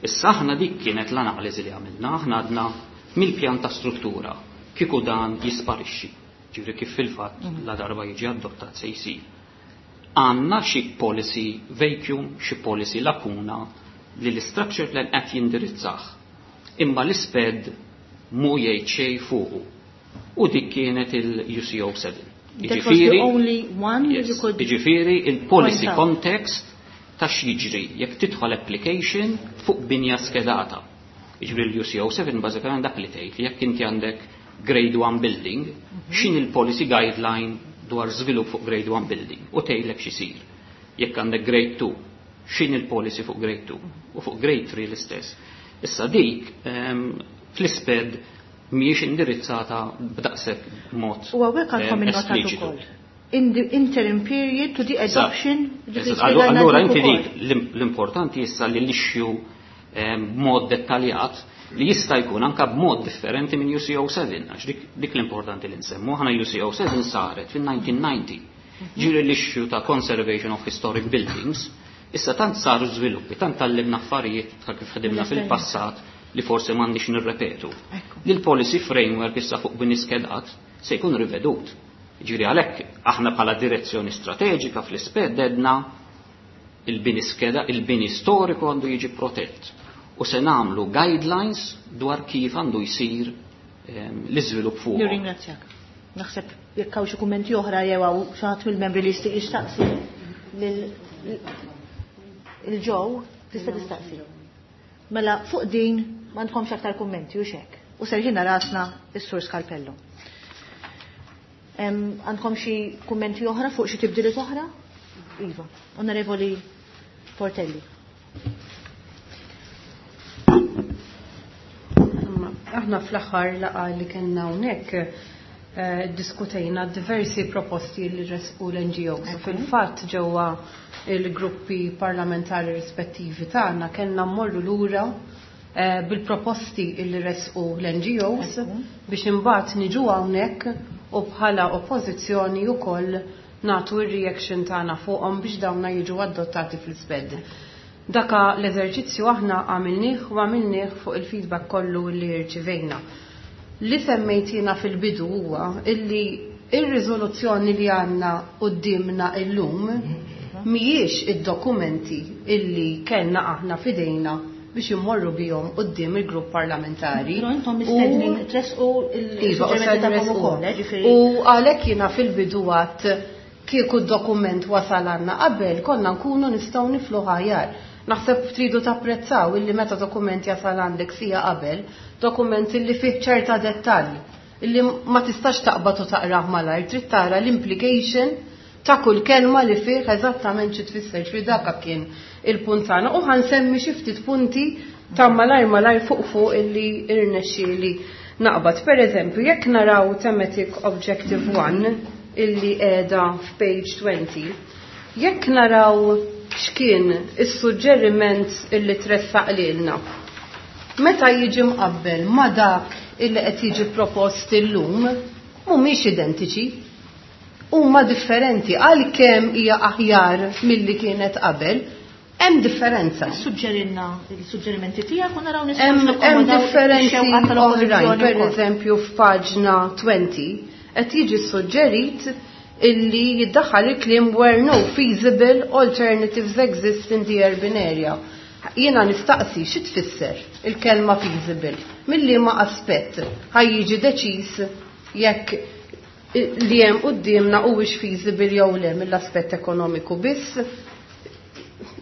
Issa aħna dik kienet l-analiżi li għamilna, aħna għadna mill-pjan ta' struttura kieku dan jisparixxi. Ġifieri kif fil-fatt la darba jiġi adottat se jsir. Għandna xi policy vacuum, xi policy lakuna li l-structure plan qed jindirizzah. Imma l-ISPED mu jgħid xejn fuqu. U dik kienet il-UCO 7. That was the only one you could Jiġifieri il-policy point out. context ta' x'jiġri jekk tidħol application fuq binja skedata. Jiġifieri l-UCO 7 bażikament dak li tgħid li jekk inti għandek grade 1 building, x'in il-policy guideline dwar żvilupp fuq grade 1 building u tgħidlek x'isir. Jekk għandek grade 2, x'in il-policy fuq grade 2 u fuq grade 3 l-istess. Issa dik fl-ISPED mhijiex indirizzata b'daqshekk mod, U hawnhekk għandkom innotat espliċitu. ukoll. In the interim period to the adoption, ġifieri spjegajna Allura dik inti ukoll. dik l-importanti issa li l-issue b'mod dettaljat Li jista' jkun anka b'mod differenti minn UCO7, għax dik l-importanti li nsemmu, aħna UCO7 saret fin-1990. Ġifieri l-issue ta' conservation of historic buildings, issa tant saru żviluppi, tant tallimna affarijiet ta' kif ħdimna fil-passat li forsi m'għandniex nirrepetu. Li l-policy framework issa fuq bini skedat se jkun rivedut. Ġifieri għalhekk aħna bħala direzzjoni strateġika fl-isped edna il-bini skeda, il-bini storiku għandu jiġi protett. U se nagħmlu guidelines dwar kif għandu jsir l-iżvilupp fuq. Nirringrazzjak. Naħseb jekk hawn xi kummenti oħra jew hawn xi ħadd mill-membri li jistgħu jistaqsi lil Joe tista' tistaqsi. Mela fuq din m'għandkomx aktar kummenti u xek. U serħina rasna is-Sur Scarpello. Għandkom xi kummenti oħra fuq xi tibdiliet oħra? Iva, Onorevoli Portelli. Aħna fl-aħħar laqgħa li kellna hawnhekk diskutejna diversi proposti li resqu l-NGOs. Fil-fatt ġewwa il-gruppi parlamentari rispettivi tagħna kellna mmorru lura bil-proposti li resqu l-NGOs biex imbagħad niġu hawnhekk u bħala oppożizzjoni wkoll nagħtu r-reaction tagħna fuqhom biex dawna jiġu adottati fl-isped. Daka l-eżerċizzju aħna għamilnieh u għamilnieh fuq il-feedback kollu li rċivejna. Li semmejt jiena fil-bidu huwa illi ir-riżoluzzjoni li għandna quddiemna illum mhijiex id-dokumenti illi kellna aħna f'idejna biex immorru bihom quddiem il-grupp parlamentari. Però intom mistednin tressqu il-suġġerimenti tagħkom ukoll, ġifieri. U għalhekk jiena fil-bidu għadt kieku d-dokument wasal għandna qabel konna nkunu nistgħu niflu ħajar. Naħseb tridu tapprezzaw illi meta dokument jasal għandek sija qabel, dokument illi fih ċerta dettall, illi ma tistax taqbad u taqrah malajr, trid tara l-implication ta' kull kelma li fih eżattament xi tfisser, ġifieri dak kien il-punt tagħna. U ħansemmi xi ftit punti ta' malajr malajr fuq fuq illi irnexxieli naqbad. Per eżempju, jekk naraw thematic objective 1 illi qiegħda f'page 20, jekk naraw x'kien is-suġġeriment illi tressaq lilna, meta jiġi mqabbel ma' dak illi qed jiġi propost illum, mhumiex identiċi, huma differenti, għalkemm hija aħjar milli kienet qabel, hemm differenza. Suġġerinna il-suġġerimenti tiegħek u naraw nistgħu Hemm nakkomodaw differenzi ix-xewqa tal-oppożizzjoni oħrajn, per wkoll. eżempju f'paġna 20 qed jiġi suġġerit illi jiddaħħal il-kliem where no feasible alternatives exist in the urban area. Jiena nistaqsi xi tfisser il-kelma feasible, mill-liema aspett ħaj jiġi deċiż jekk li hemm quddiemna huwiex feasible jew le mill-aspett ekonomiku biss.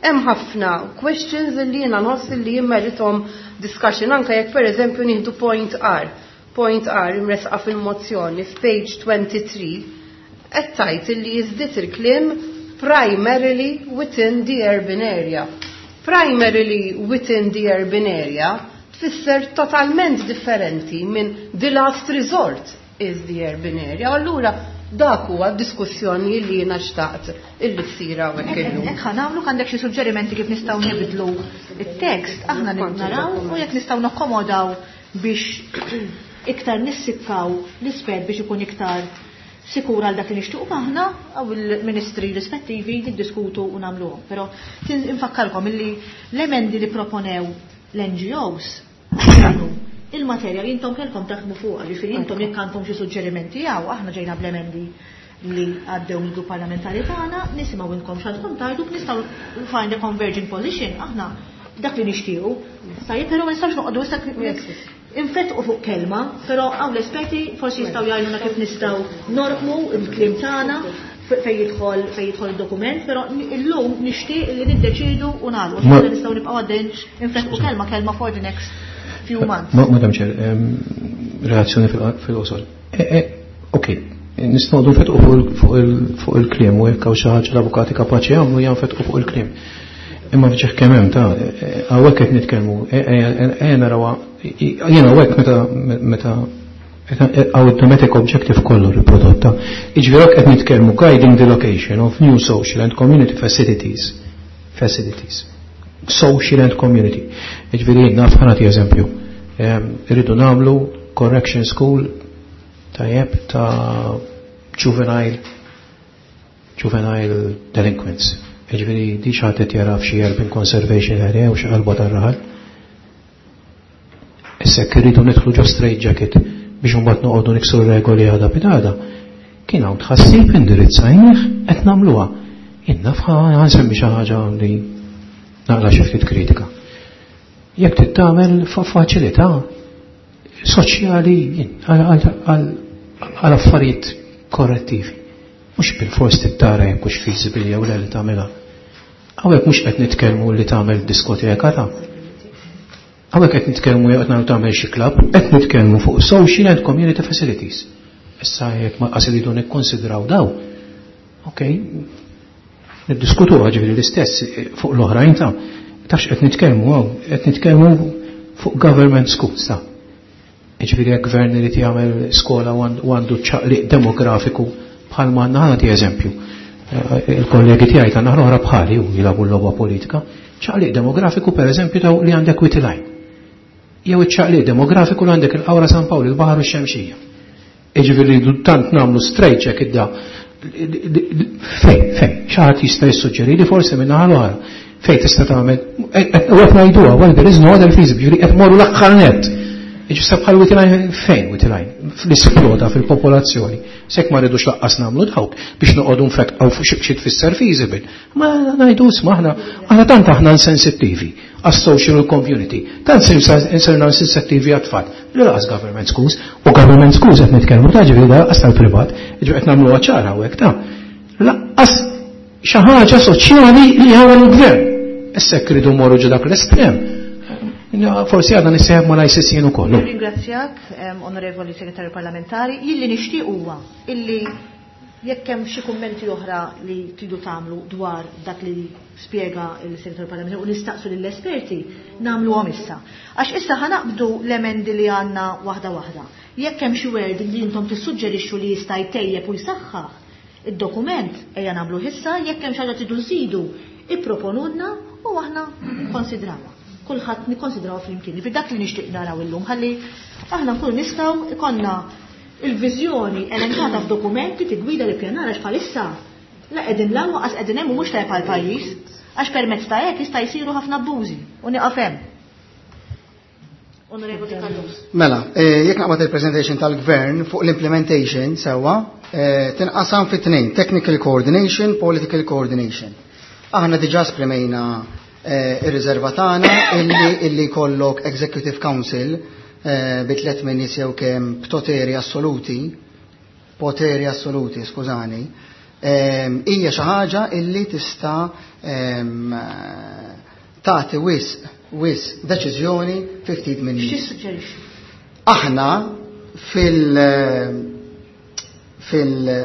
Hemm ħafna questions li jiena nħoss li jimmerithom discussion, anke jekk pereżempju nieħdu point R. Point R imresqa fil-mozzjoni f'page 23 qed tgħid illi jiżdied il-kliem primarily within the urban area. Primarily within the urban area tfisser totalment differenti minn the last resort is the urban area. Allura dak huwa diskussjoni li jiena xtaqt illi ssir hawnhekk illum. Hekk ħa nagħmlu, għandek xi suġġerimenti kif nistgħu nibdlu it-tekst, aħna naraw u jekk nistgħu nakkomodaw biex iktar nissikkaw l-isped biex ikun iktar sikur għal dak li nixtiequ aħna għaw il-ministri rispettivi niddiskutu u nagħmluhom. Però infakkarkom illi l-emendi li proponew l-NGOs kienu il-materja li intom kellkom taħdmu fuqha, ġifieri intom jekk għandkom xi suġġerimenti jew aħna ġejna bl-emendi li għaddew mill-grupp parlamentari tagħna, nisimgħu inkom x'għandkom tgħidu, nistgħu find a converging position, aħna dak li nixtiequ. Tajjeb, però ma nistgħux noqogħdu issa infetqu fuq kelma, però hawn l-esperti forsi jistgħu jgħidulna kif nistgħu norqmu l-kliem tagħna fejn jidħol id-dokument, però illum nixtieq li niddeċiedu u nagħlqu. Aħna nistgħu nibqgħu għaddejn infetqu kelma kelma for the next few months. Madam Chair, reazzjoni fil-qosor. Ok, nistgħu nfetqu fuq il-kliem u jekk hawn xi ħaġa l-avukati kapaċi jagħmlu hija nfetqu fuq il-kliem. Imma fġieħ kemm hemm ta' hawnhekk qed nitkellmu, narawha, jiena hawnhekk meta hawn id-thematic objective kollu riprodotta. Jiġifieri hekk qed nitkellmu guiding the location of new social and community facilities. Facilities. Social and community. Jiġifieri naf ħa nagħti eżempju. Irridu nagħmlu correction school tajjeb ta' juvenile delinquents. Jiġifieri di xi ħadd qed jara f'xi urban conservation area u xi qalba tar-raħal. Issa jekk irridu nidħlu ġo straight jacket biex imbagħad noqogħdu niksru regoli għada pitgħada, kien hawn tħassib indirizzajnih qed nagħmluha. Jien naf ħansemmi xi ħaġa li naqla xi ftit kritika. Jekk trid tagħmel faċilità soċjali għal affarijiet korrettivi. Mhux bil-fors tittara jekk hux feasible jew le li tagħmilha. Hawnhekk mhux qed nitkellmu li tagħmel diskoteka ta'. Hawnhekk qed nitkellmu jew qed nagħmlu tagħmel xi club, qed nitkellmu fuq social and community facilities. Issa jekk ma qas iridu nikkonsidraw daw, ok, niddiskutu ġifieri l-istess fuq l-oħrajn ta' tafx qed nitkellmu hawn, qed nitkellmu fuq government schools ta'. Ġifieri jekk gvern irid jagħmel skola u għandu ċaqliq demografiku bħal ma għandna ħa eżempju. Il-kollegi tiegħi ta' naħra oħra bħali u jilagħbu l-logħba politika, ċaqliq demografiku pereżempju ta' li għandek Wied il-Għajn. Jew iċ-ċaqliq demografiku li għandek il-Qawra San Pawl, il-Baħar u x-Xemxija. Jiġifieri tant nagħmlu straight check idda fejn, xi ħadd jista' jissuġġeri li forsi minn naħa l-oħra fejn tista' tagħmel u qed ngħiduha, well there is no other feasible, qed morru l-aħħar net. Ġista bħal Wied il-Għajn fejn Wied il-Għajn? Fl-isploda fil-popolazzjoni. Sekk ma rridux laqqas nagħmlu dawk biex noqogħdu nfetqgħu fuq xi tfisser feasible. Ma ngħidu isma' aħna tant aħna insensittivi għas-social community. Tant insirna insensittivi għat-tfal. Li laqas government schools, u government schools qed nitkellmu ta' ġifieri laqas tal-privat, ġifieri qed nagħmluha ċara hawnhekk ta' laqqas xi ħaġa soċjali li jagħmel il-gvern. Issa jekk iridu morru ġo dak l-estrem, forsi għadna nissieħeb ma l-ICC jien ukoll. Ringrazzjak, onorevoli segretarju parlamentari, jilli nixtieq huwa illi jekk hemm xi kummenti oħra li tridu tagħmlu dwar dak li spjega il-segretarju parlamentari u nistaqsu lill-esperti, nagħmluhom issa. Għax issa ħanaqbdu l-emendi li għandna waħda waħda. Jekk hemm xi word li intom tissuġġerixxu li jista' jtejjeb u jsaħħaħ id-dokument, ejja nagħmlu issa, jekk hemm xi ħaġa tridu nżidu, ipproponulna u aħna nikkonsidrawha. Kulħadd nikkonsidrawha flimkien. Fi dak li nixtieq naraw illum ħalli aħna nkunu nistgħu ikollna il-viżjoni elenkata f'dokumenti tigwida li pjanar għax bħalissa la qegħdin l qas qegħdin hemm u mhux tajjeb għall-pajjiż għax permezz ta' hekk jista' jsiru ħafna abbużi u nieqaf hemm. Onorevoli Callus. Mela, jekk naqbad il-presentation tal-gvern fuq l-implementation sewwa, tinqasam fi tnejn, technical coordination, political coordination. Aħna diġà esprimejna ir-riserva tagħna illi jkollok Executive Council bi tliet min nies jew kemm b'poteri assoluti, poteri assoluti, skużani, hija xi ħaġa illi tista' tagħti wisq deċiżjoni fi ftit minn nies. X'tissuġġerixxi? Aħna fil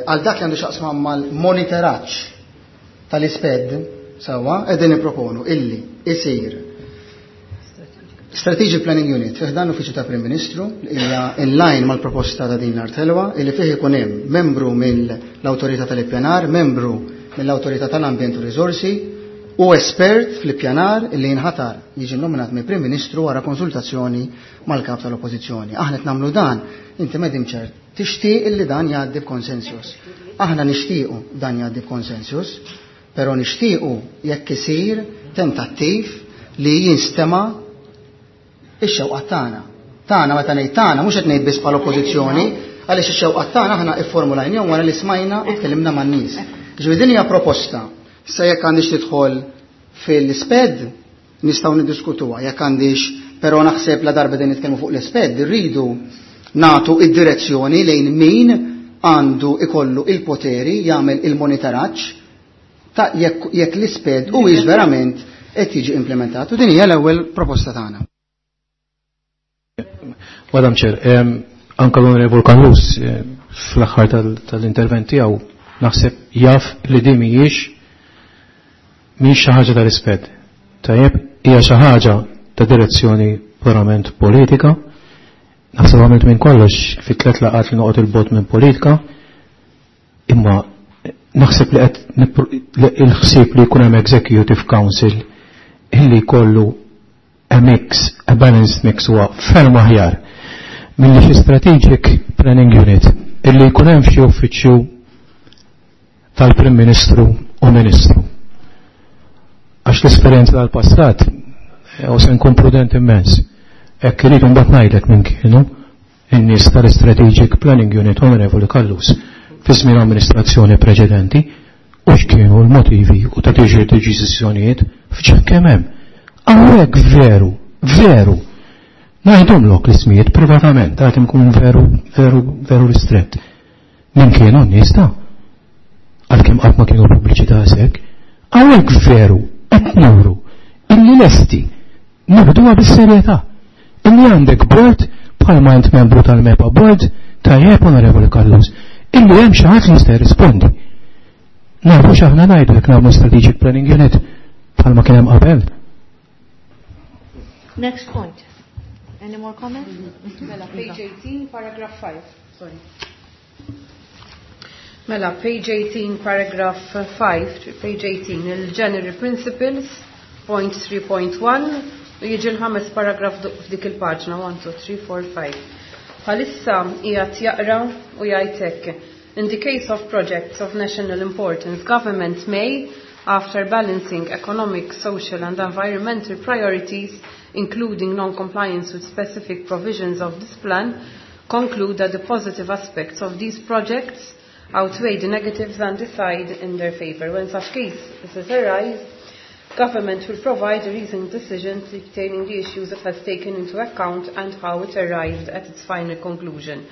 għal dak li għandu x'jaqsam mal-monitoraġġ tal-isped sewwa qegħdin nipproponu illi isir Strategic Planning Unit fih dan l-Uffiċċju ta' Prim Ministru li hija in line mal-proposta ta' din l-art ħelwa illi fih ikun hemm membru mill-Awtorità tal-Ippjanar, membru mill-Awtorità tal-Ambjent u Riżorsi u espert fl-ippjanar illi jinħatar jiġi nominat mill-Prim Ministru wara konsultazzjoni mal-kap tal-Oppożizzjoni. Aħna qed nagħmlu dan, inti Madam Chair, tixtieq illi dan jgħaddi b'konsensus. Aħna nixtiequ dan jgħaddi b'konsensus, però nixtiequ jekk isir tentattiv li jinstema' ix-xewqa tagħna. Tagħna meta ngħid tagħna mhux qed ngħid biss bħala oppożizzjoni, għaliex ix-xewqa tagħna aħna ifformulajnihom wara li smajna u tkellimna man-nies. Ġifieri din hija proposta. Issa jekk għandix tidħol fil-sped nistgħu niddiskutuha, jekk għandix, però naħseb la darba din nitkellmu fuq l-isped, irridu nagħtu id-direzzjoni lejn min għandu ikollu il-poteri jagħmel il-monitoraġġ ta' jekk l-isped huwiex verament qed jiġi implementat. U din hija l-ewwel proposta tagħna. Madam Chair, anka l-Onorevol Callus fl-aħħar tal-intervent tiegħu naħseb jaf li din mhijiex xi ħaġa tal-isped. Tajjeb, hija xi ħaġa ta' direzzjoni purament politika. Naħseb għamilt minn kollox fi 3 laqgħat li noqgħod il-bot minn politika, imma naħseb li qed il-ħsieb li jkun hemm Executive Council illi jkollu a mix, a balanced mix huwa ferm aħjar milli xi strategic planning unit illi jkun hemm xi uffiċċju tal-Prim Ministru u Ministru. Għax l-esperjenza tal-passat, u se nkun prudent immens, hekk irid imbagħad ngħidlek minn kienu in-nies tal-Strategic Planning Unit, Onorevoli Callus, fi żmien amministrazzjoni preċedenti, u x'kienu l-motivi u ta' tiġi deċiżjonijiet f'ċekk kemm hemm. Hawnhekk veru, veru, ngħidhomlok l-ismijiet privatament, għad nkun veru, veru, veru ristrett. Min kienu n-nies ta' għalkemm qatt ma kienu pubbliċità hekk, hawnhekk veru qed nuru illi lesti nieħduha bis-serjetà. Illi għandek board bħalma int membru tal-MEPA board tajjeb, Onorevoli Callus, illi hemm xi ħadd li jista' jirrispondi. Nafu x'aħna ngħidu jekk nagħmlu strategic planning unit bħalma kien hemm qabel. Next point. Any more comments? Mela, page 18, paragraph 5. Sorry. Mela, page 18, paragraph 5, page 18, il-General Principles, point 3.1, u jiġi l-ħames paragraf f'dik il-paġna, 1, 2, 3, 4, 5. Bħalissa qiegħed jaqra u jgħid hekk. In the case of projects of national importance, government may, after balancing economic, social and environmental priorities, including non-compliance with specific provisions of this plan, conclude that the positive aspects of these projects outweigh the negatives and decide in their favor. When such cases arise, government will provide a reasoned decision detailing the issues it has taken into account and how it arrived at its final conclusion.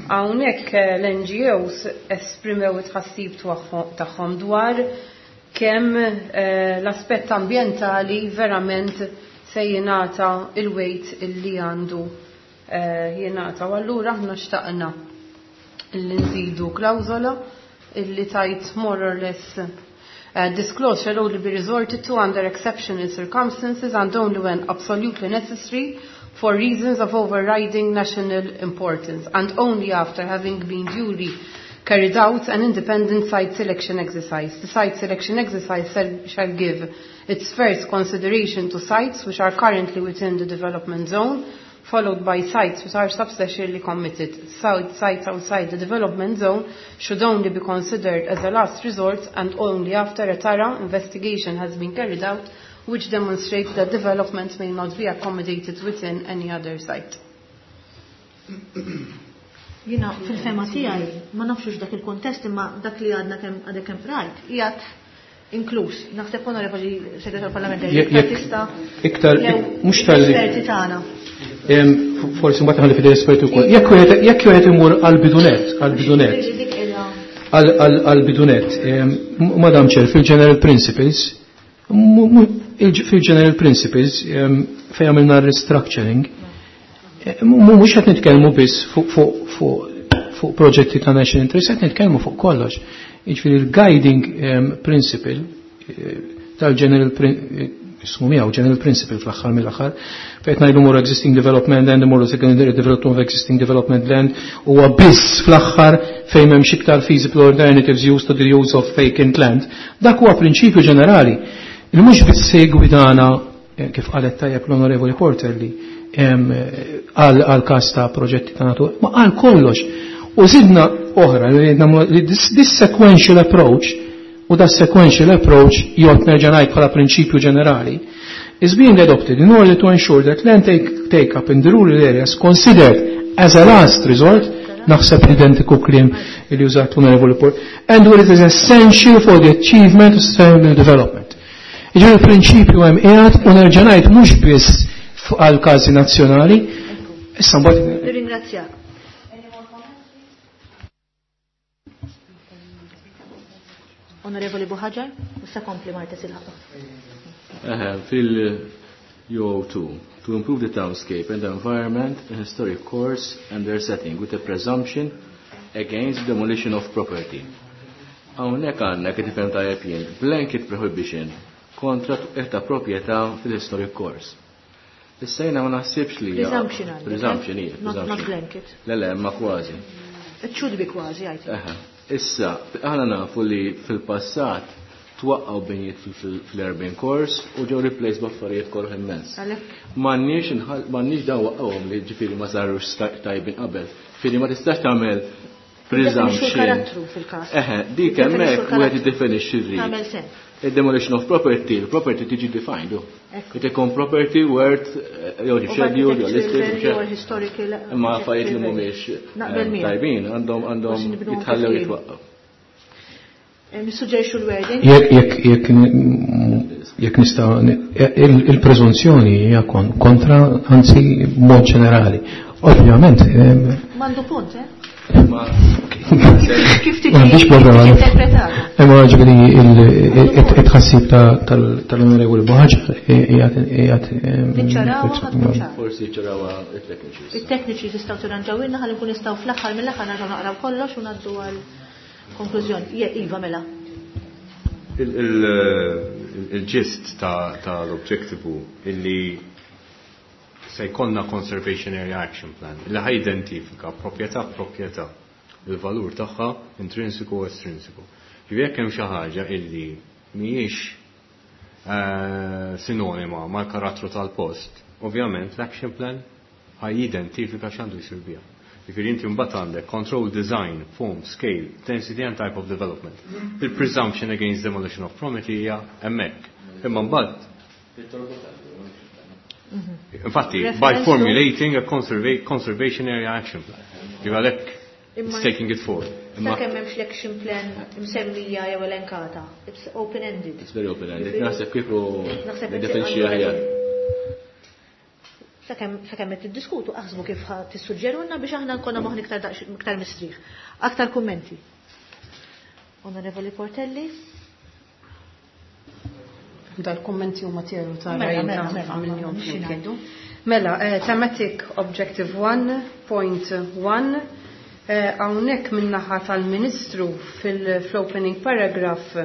Hawnhekk l-NGOs esprimew it-tħassib tagħhom dwar kemm l-aspett ambjentali verament se jingħata il-weight illi għandu jingħata. U allura aħna xtaqna illi nżidu klawżola illi tajt more or less this clause shall only be resorted to under exceptional circumstances and only when absolutely necessary for reasons of overriding national importance and only after having been duly carried out an independent site selection exercise. The site selection exercise shall give its first consideration to sites which are currently within the development zone, followed by sites which are substantially committed. Sites outside the development zone should only be considered as a last resort and only after a thorough investigation has been carried out, which demonstrates that development may not be accommodated within any other site. Jiena fil-fehma tiegħi ma nafx dak il-kontest imma dak li għadna kemm għadek kemm rajt qiegħed inkluż. Naħseb, Onorevoli Segretar Parlamentari, iktar tista' iktar jew mhux tal-li esperti tagħna. Forsi mbagħad ħalli fidej esperti wkoll. Jekk wieħed imur għall-bidunet, għall-bidunet, Dik qiegħda għall-bidunet, Madam Chair, fil-General Principles, fil-General Principles fejn għamilna restructuring, mhux qed nitkellmu biss fuq proġetti ta' national interest, qed nitkellmu fuq kollox. Jiġifieri il-guiding principle tal-General ismu miegħu General Principle fl-aħħar mill-aħħar, fejn ngħidu more existing development land, more secondary development of existing development land, huwa biss fl-aħħar fejn m'hemmx iktar feasible alternatives used to the use of vacant land. Dak huwa prinċipju ġenerali li mhux biss se jgwidana, kif qalet tajjeb l-Onorevoli Porter li għal każ ta' proġetti ta' natura, ma għal kollox. U zidna oħra li this sequential approach, u da sequential approach jgħod nerġa' ngħid bħala prinċipju ġenerali, is being adopted in order to ensure that land take up in the rural areas considered as a last resort, naħseb identiku kliem li użat l-Onorevoli Port, and where it is essential for the achievement of sustainable development. Jiġifieri il-prinċipju hemm qiegħed u nerġa' ngħid mhux biss għal każi nazzjonali. Issa mbagħad Nirringrazzjak. Onorevoli Buhaġar, issa kompli Marta Silħaqa. Fil-UO2, to improve the townscape and the environment, the historic course and their setting with a presumption against demolition of property. Hawnhekk għandna kif tifhem tajjeb jien, blanket prohibition kontra ta' proprjetà fil-historic course. Issa jiena ma naħsibx li hija Presumption għandek, eh? Presumption hija, Not presumption. blanket. Le, le, ma kważi. It should be kważi, I think. Issa, aħna nafu li fil-passat Twaqqgħu binjiet fl-urban cores u ġew replaced b'affarijiet koroh immens. M'għandniex dawn waqqgħuhom li ġifieri ma sarux tajbin qabel. Ġifieri ma tistax tagħmel presumption. Karattru fil-każ. Eħe, dik hemmhekk wieħed jiddefinixxi rrid. Tagħmel sens. Il-demolition of property, il-property tiġi defined. It ikun property worth jew scheduled jew listed. Imma affarijiet li mhumiex tajbin għandhom jitħallew jitwaqqgħu. Nissuġġerixxu l-wording. Jekk nista' il-preżunzjoni hija kontra, anzi mod ġenerali. Ovvjament. M'għandu punt, eh? Kif tiġi M'għandix problema. interpretata? Imma ġifieri it-tħassib tal-Onorevoli Buhaġar qiegħed Niċċarawha ħadd tkun ċara. Forsi ċarawha it-tekniċi. It-tekniċi tistgħu tirranġawilna ħalli nkun nistgħu fl-aħħar mill-aħħar nerġgħu naqraw kollox u ngħaddu għal konklużjoni. Iva, mela. Il-gist tal-objective illi se jkollna Conservation Area Action Plan li ħa jidentifika proprjetà proprjetà il-valur tagħha intrinsiku u estrinsiku. Ġifieri jekk hemm xi ħaġa illi mhijiex sinonima mal-karattru tal-post, ovvjament l-action plan ħa jidentifika x'għandu jsir biha. Ġifieri inti mbagħad għandek control design, form, scale, density and type of development. Il-presumption against demolition of property hija hemmhekk. Imma mbagħad infatti, by formulating a conservation area action plan. Ġifieri għalhekk it's taking it forward. Imma sakemm hemmx l-action plan msemmija jew elenkata, it's open-ended. It's very open-ended. Naħseb kieku Naħseb niddefinixxi qed aħjar. Sakemm qed tiddiskutu aħsbu kif tissuġġerulna biex aħna nkollna moħħ iktar mistrieħ. Aktar kummenti. Onorevoli Portelli. Dal-kummenti huma tiegħu ta' Mela, rajna mela, mela, għamilniehom mela, flimkien. xi ngħidu? Mela, thematic objective 1.1, hawnhekk min-naħa tal-Ministru fil-opening paragraph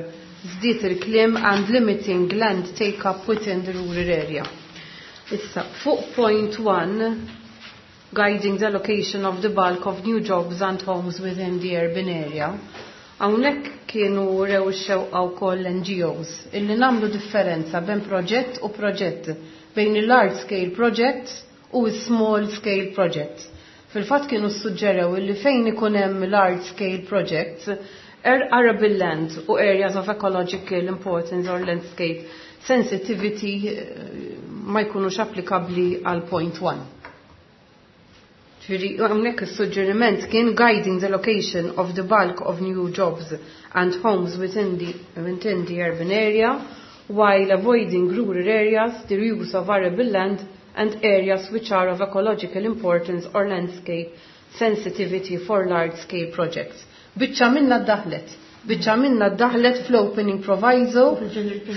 żdied il-kliem and limiting land take up within the rural area. Issa, fuq point 1, guiding the allocation of the bulk of new jobs and homes within the urban area, hawnhekk kienu rew ix-xewqa wkoll N G Os illi nagħmlu differenza bejn proġett u proġett, bejn il-large scale projects u small scale projects. Fil-fatt kienu suġġerew illi fejn ikun hemm large scale projects, arable land u areas of ecological importance or landscape sensitivity ma jkunux applikabli għal point 1. Ġifieri, hawnhekk is-suġġeriment kien guiding the location of the bulk of new jobs and homes within the urban area, while avoiding rural areas, the use of arable land and areas which are of ecological importance or landscape sensitivity for large-scale projects. Biċċa minna ddaħlet. Biċċa minna ddaħlet fl-opening proviso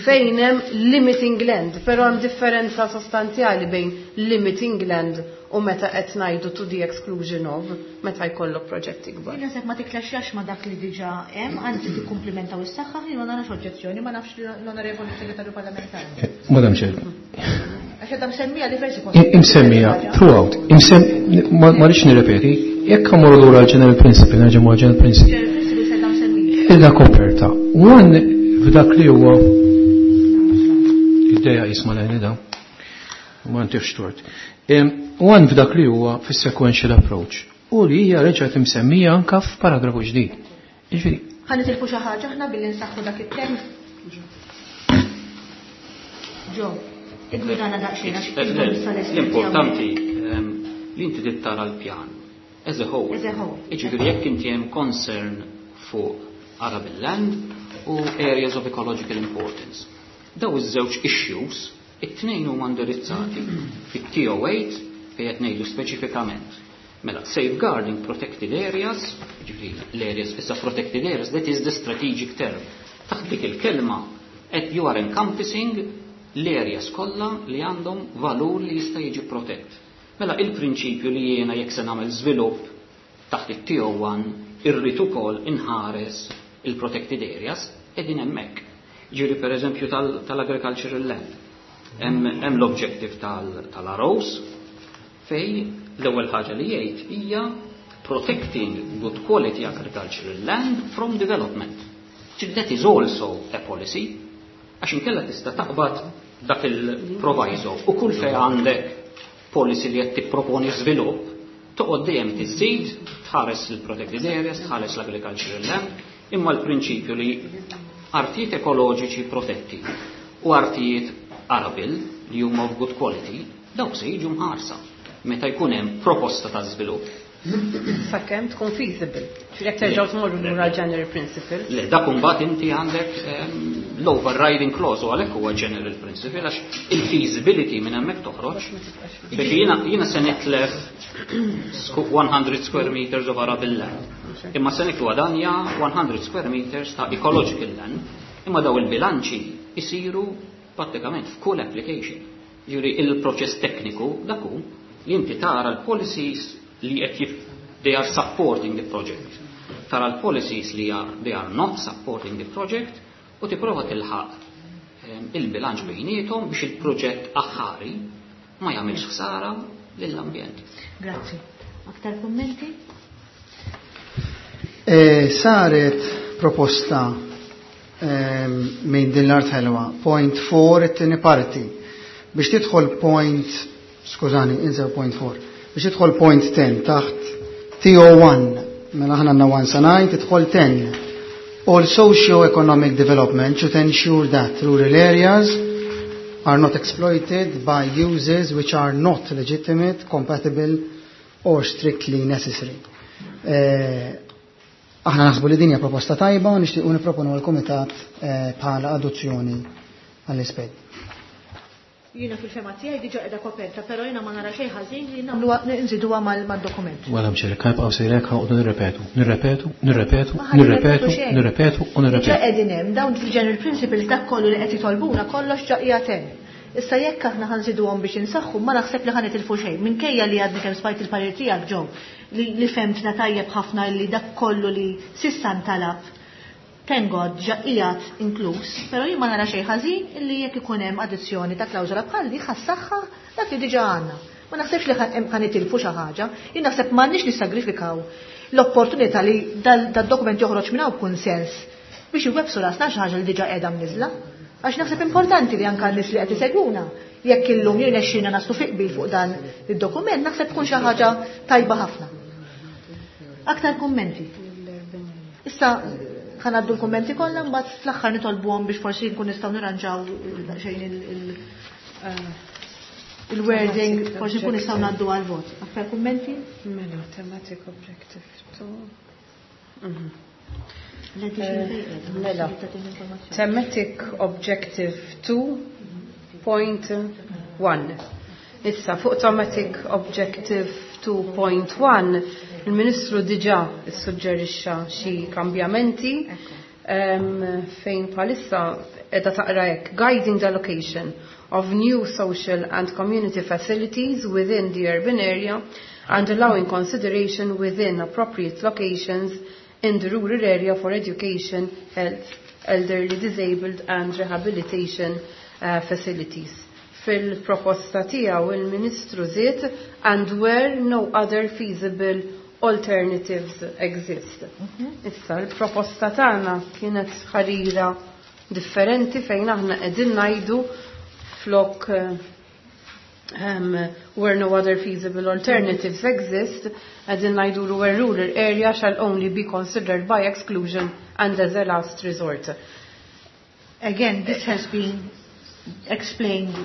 fejn hemm limiting land, però hemm differenza sostanzjali bejn limiting land u meta qed ngħidu to the exclusion of meta jkollok proġetti kbar. Jien naħseb ma tiklaxxax ma dak li diġà hemm, anzi tikkumplimentaw is-saħħa, jien ma narax oġġezzjoni, ma nafx l-onorevoli segretarju parlamentari. Madam Chair. Għax qed msemmija diversi postijiet. Imsemmija throughout. Ma rridx nirrepeti, jekk ħammorru lura l-general principle, nerġa' ma' general principle. General principle se msemmija. Illa koperta. One f'dak li huwa id-dejja jisma' lejni da. Ma ntifx tort. One f'dak li huwa fis-sequential approach. U li hija reġgħet imsemmija anka f'paragrafu ġdid. Jiġifieri. Ħa nitilfu xi ħaġa aħna billi nsaħħu dak it-tekst. Ġo, igwidana daqsxejn għax L-importanti li inti tittara l-pjan as a whole. As a whole. Jiġifieri jekk inti hemm concern fuq arable land u areas of ecological importance. Daw iż-żewġ issues, it-tnejn huma indirizzati fit-TO8 fejn qed ngħidu speċifikament. Mela, safeguarding protected areas, ġifieri l-areas, issa protected areas, that is the strategic term. Taħt dik il-kelma qed you are encompassing l-areas kollha li għandhom valur li jista' jiġi protett. Mela il-prinċipju li jiena jekk se nagħmel żvilupp taħt it-TO1 irrid ukoll inħares il-protected areas qegħdin hemmhekk. Ġifieri pereżempju tal-agricultural land. Hemm l-objective tal-ROs fej l-ewwel ħaġa li jgħid hija protecting good quality agricultural land from development. Ġifieri that is also a policy, għax inkella tista' taqbad dak il-proviso u kull fejn għandek policy li qed tipproponi żvilupp, toqgħod dejjem tiżid, tħares il-protected areas, tħares l-agricultural land, imma l-prinċipju li artijiet ekoloġiċi protetti u artijiet arable li huma of good quality, dawk se jiġu mħarsa meta jkun hemm proposta ta' żvilupp. Sakemm tkun feasible. Ġifieri jekk terġgħu tmorru lura general principle. Le, dak imbagħad inti għandek l-overriding clause u għalhekk huwa general principle għax il-feasibility minn hemmhekk toħroġ. Biex jiena se nitlef 100 square meters of arable land. Imma se niggwadanja 100 square meters ta' ecological land. Imma daw il-bilanċi isiru prattikament f'kull application. Ġifieri il-proċess tekniku dak hu li inti tara l-policies li qed they are supporting the project. Tara l-policies li they are not supporting the project u tipprova tilħaq il-bilanċ bejniethom biex il-proġett aħħari ma jagħmilx ħsara lill-ambjent. Grazzi. Aktar kummenti? Saret proposta minn din l-art ħelwa, point 4 it-tieni parti. Biex tidħol point, skużani, insew point 4, biex tidħol point 10 taħt TO1, mela aħna għandna 1 sa 9, tidħol 10. All socio-economic development should ensure that rural areas are not exploited by uses which are not legitimate, compatible or strictly necessary. Aħna naħsbu li din hija proposta tajba u nixtiequ nipproponu għall-Kumitat bħala adozzjoni għall-isped. Jiena fil-fema tiegħi diġà qiegħda koperta, però jiena ma nara xejn ħażin li nagħmluha nżiduha mad-dokument. Wara mxer, kajb għaw sejrek ħaqdu nirrepetu, nirrepetu, nirrepetu, Ma ħa nirrepetu, nirrepetu xejn. nirrepetu u Diġà nirrepetu. qegħdin hemm dawn fil-general principles dak kollu li qed jitolbuna kollox ġa qiegħed hemm. Issa jekk aħna ħanżiduhom biex insaħħu ma naħseb li ħa nitilfu xejn. Minkejja li għadni kemm smajt il-parir tiegħek ġew li femtna tajjeb ħafna li dak kollu li sissa ntalab thank God ġa qiegħed inkluż, però jien ma nara xejn ħażin illi jekk ikun hemm addizzjoni ta' klawżola bħal li ħassaħħa dak li diġà għandna. Ma naħsebx li ħa nitilfu xi ħaġa, jien naħseb m'għandniex nissagrifikaw l-opportunità li dal-dokument joħroġ minn hawn b'kunsens biex iwebbsu rasna xi ħaġa li diġà qiegħda mniżla. Għax naħseb importanti li anke n-nies li qed isegwuna jekk illum jirnexxina naslu fi qbil fuq dan id-dokument, naħseb tkun xi ħaġa tajba ħafna. Aktar kummenti. Issa ħa ngħaddu l-kummenti kollha, mbagħad fl-aħħar nitolbuhom biex forsi nkun nistgħu nirranġaw daqsxejn il-wording, forsi nkun nistgħu ngħaddu għal-vot. Aktar kummenti? Mela, thematic objective 2. Mela, thematic objective 2.1. Issa, fuq thematic objective 2.1, il-Ministru diġà issuġġerixxa xi kambjamenti fejn bħalissa qiegħda taqra hekk, guiding the allocation of new social and community facilities within the urban area and allowing consideration within appropriate locations in the rural area for education, health, elderly, disabled and rehabilitation facilities. Fil-proposta tiegħu il-Ministru żied and where no other feasible alternatives exist. Issa l-proposta tagħna kienet ħarira differenti fejn aħna qegħdin ngħidu flok where no other feasible alternatives exist, qegħdin ngħidu where rural area shall only be considered by exclusion and as a last resort. Again, this has been explained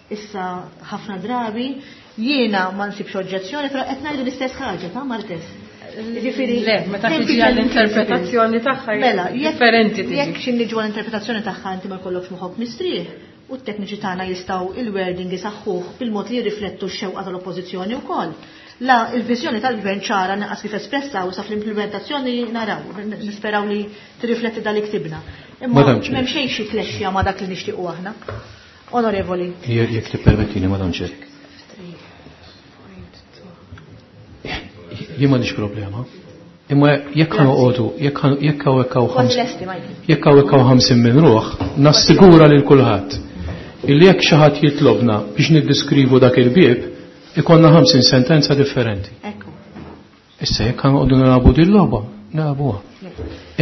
issa ħafna drabi, jiena ma nsibx oġġezzjoni, però qed ngħidu l-istess ħaġa ta' Martes. Jiġifieri, Le, meta kemm tiġi fi għall-interpretazzjoni tagħha Mela, differenti tiġi. jekk xi niġu għall-interpretazzjoni tagħha inti ma jkollokx moħħok mistrieħ, u t-tekniċi tagħna jistgħu il-wording isaħħuh bil-mod li jirriflettu x-xewqa tal-oppożizzjoni wkoll. La il-viżjoni tal-gvern ċara naqas kif espressa u sa fl-implementazzjoni naraw, nisperaw li tirrifletti dal ktibna. Imma Madam Chair. m'hemm xejn xi tlexxija ma' dak li nixtiequ aħna. Onorevoli. Jekk tippermettini, Madam Chair. Jien m'għandix problema. Imma jekk ħa noqogħdu, jekk hawn hekk hawn Kważi lesti, Michael. jekk hawn hekk hawn 50 minn ruħ, nassigura lil kulħadd illi jekk xi ħadd jitlobna biex niddiskrivu dak il-bieb, ikonna 50 sentenza differenti. Ekku. Issa jekk ħa noqogħdu nilagħbu din logħba. Nilagħbuha.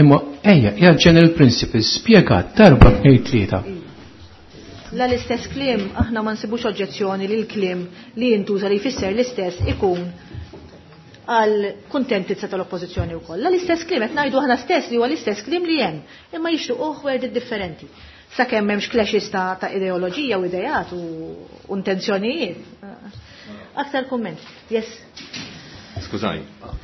Imma ejja, hija general principles spjegat darba tnejn tlieta. La l-istess kliem, aħna ma nsibux oġġezzjoni li l-kliem li jintuża li jfisser l-istess ikun għal kuntentizza tal-oppożizzjoni wkoll. La l-istess kliem qed ngħidu aħna stess li huwa l-istess kliem li hemm, imma jixtiequh worded differenti. Sakemm m'hemmx clashes ta' ideoloġija u idejat u intenzjonijiet. Aktar kumment. Yes. Skużani,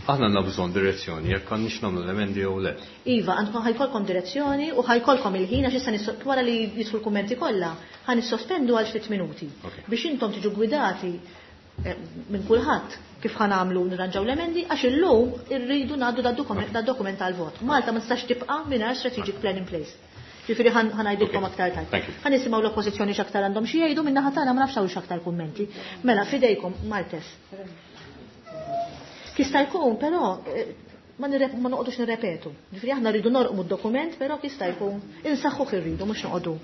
aħna għandna bżonn direzzjoni jekk għandniex nagħmlu l-emendi jew le. Iva, għandkom ħa jkollkom direzzjoni u ħa jkollkom il-ħin għax issa wara li jidħlu l-kummenti kollha, ħa nissospendu għal ftit minuti biex intom tiġu gwidati minn kulħadd kif ħa nagħmlu nirranġaw l-emendi għax illum irridu ngħaddu da dokument tal-vot. Malta ma tistax tibqa' mingħajr strategic plan in place. Ġifieri ħa ngħidilkom aktar tard. Ħa nisimgħu l-oppożizzjoni x'aktar għandhom xi jgħidu min-naħa tagħna ma nafx hawnx aktar kummenti. Mela fidejkom Martes. Jista' jkun, però ma noqogħdux nirrepetu. Ġifieri aħna rridu norqmu d-dokument, però jista' jkun insaħħuh irridu mhux noqogħdu.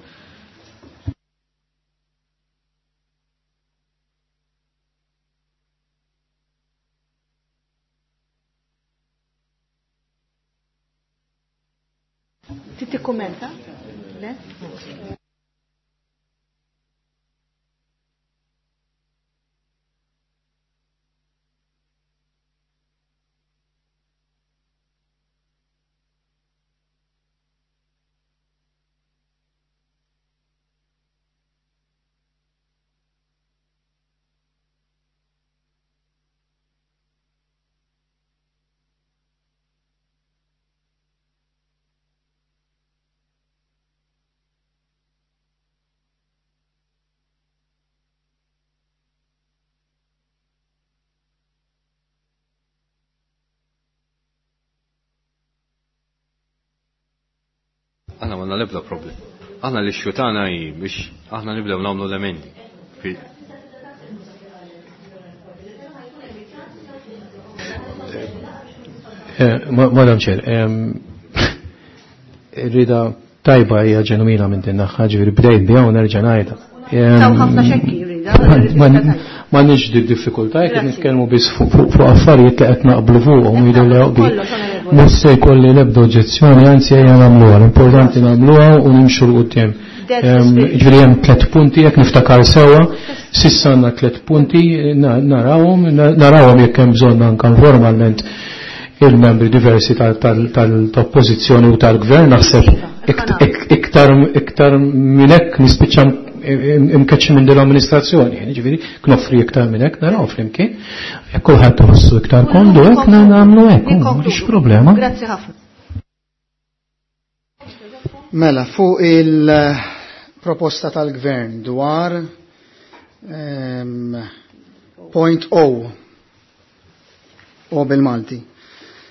Trid tikkummenta? Le? Aħna m'għandna l-ebda problem. Aħna li xutana hi biex aħna nibdew nagħmlu l-emendi. Madam Chair, rida tajba hija ġenwina minn din naħa, ġifieri bdejt biha u nerġa' ngħidha. Taw ħafna xekki rida. Ma nix di diffikultà jekk nitkellmu biss fuq affarijiet li qed naqblu fuqhom jidher li joqbi. Mhux se jkolli l-ebda oġġezzjoni, anzi ejja nagħmluha, l-importanti nagħmluha u nimxu 'l quddiem. Ġifieri hemm tliet punti jekk niftakar sewwa, s'issa għandna tliet punti narawhom jekk hemm bżonn anke formalment il-membri diversi tal-oppożizzjoni u tal-gvern, naħseb iktar minn hekk nispiċċa imkeċċi minn din l-amministrazzjoni, ġifieri knoffri iktar minn hekk naraw flimkien. Jekk kulħadd iħossu iktar komdu hekk nagħmlu hekk, m'għandix problema. Grazzi ħafna. Mela, fuq il-proposta tal-gvern dwar point O, O bil-Malti,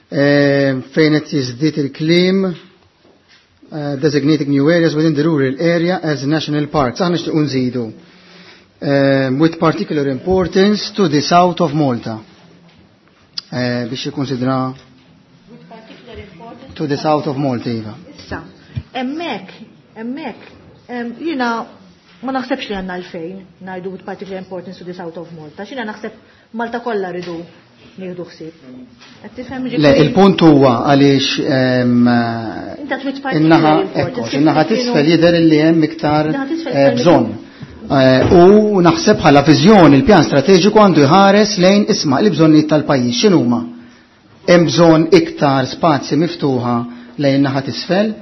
fejn qed jiżdied il-kliem designating new areas within the rural area as national parks. Aħna nixtiequ nżidu with particular importance to the south of Malta. Biex jikkonsidra to the south of Malta, iva. Issa, hemmhekk, jiena ma naħsebx li għandna għalfejn ngħidu with particular importance to the south of Malta. X'jiena naħseb Malta kollha rridu nieħdu ħsieb. Qed tifhem Le, ġifieri? il-punt huwa għaliex Inta trid particular in-naħa, importance, ekku, in-naħa kif kienu t'isfel jidher li hemm iktar, In-naħa t'isfel iktar bżonn. U naħseb bħala viżjoni il-pjan strateġiku għandu jħares lejn isma' l-bżonnijiet tal-pajjiż x'inhuma. Hemm bżonn iktar spazji miftuħa lejn naħa t'isfel.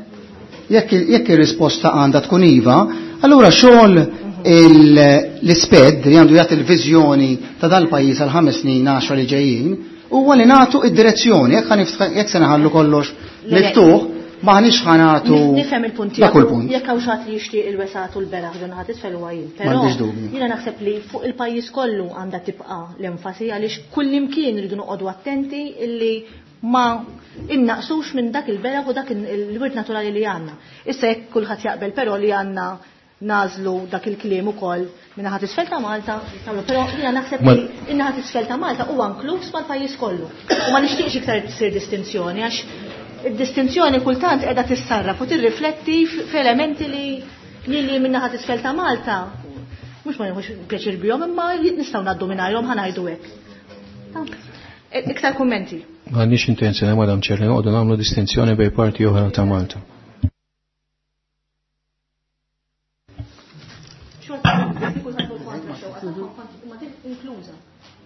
Jekk ir-risposta għandha tkun iva, allura xogħol l-isped li għandu jagħti l-viżjoni ta' dal-pajjiż għal 5 snin 10 li ġejjin, huwa li nagħtu id-direzzjoni, jekk se naħallu kollox Le, le. miftuħ, m'aħniex ħa nagħtu Nifhem il-punt dak kull tiegħek. punt. Jekk hawn xi ħadd li jixtieq il-wesgħat u l-beraħ ġo naħa t'isfel huwa jien. Però M'għandix dubju. jiena naħseb li fuq il-pajjiż kollu għandha tibqa' l-enfasi għaliex kullimkien rridu noqogħdu attenti illi ma innaqsux minn dak il-beraħ u dak il-wirt naturali li għandna. Issa jekk kulħadd jaqbel però li għandna nażlu dak il-kliem ukoll minn naħa t'isfel ta' Malta, nagħmlu, però jiena naħseb li in-naħa t'isfel ta' Malta huwa inkluż mal-pajjiż kollu. U ma nixtieqx iktar tsir distinzjoni għax id-distinzjoni kultant qiegħda tissarraf u tirrifletti f'elementi li minn naħa t'isfel ta' Malta mhux ma nieħux pjaċir bihom imma nistgħu ngħaddu mingħajrhom ħa ngħidu hekk. Iktar kummenti. M'għandniex intenzjoni, Madam Chair, li noqogħdu nagħmlu distinzjoni bejn parti oħra ta' Malta.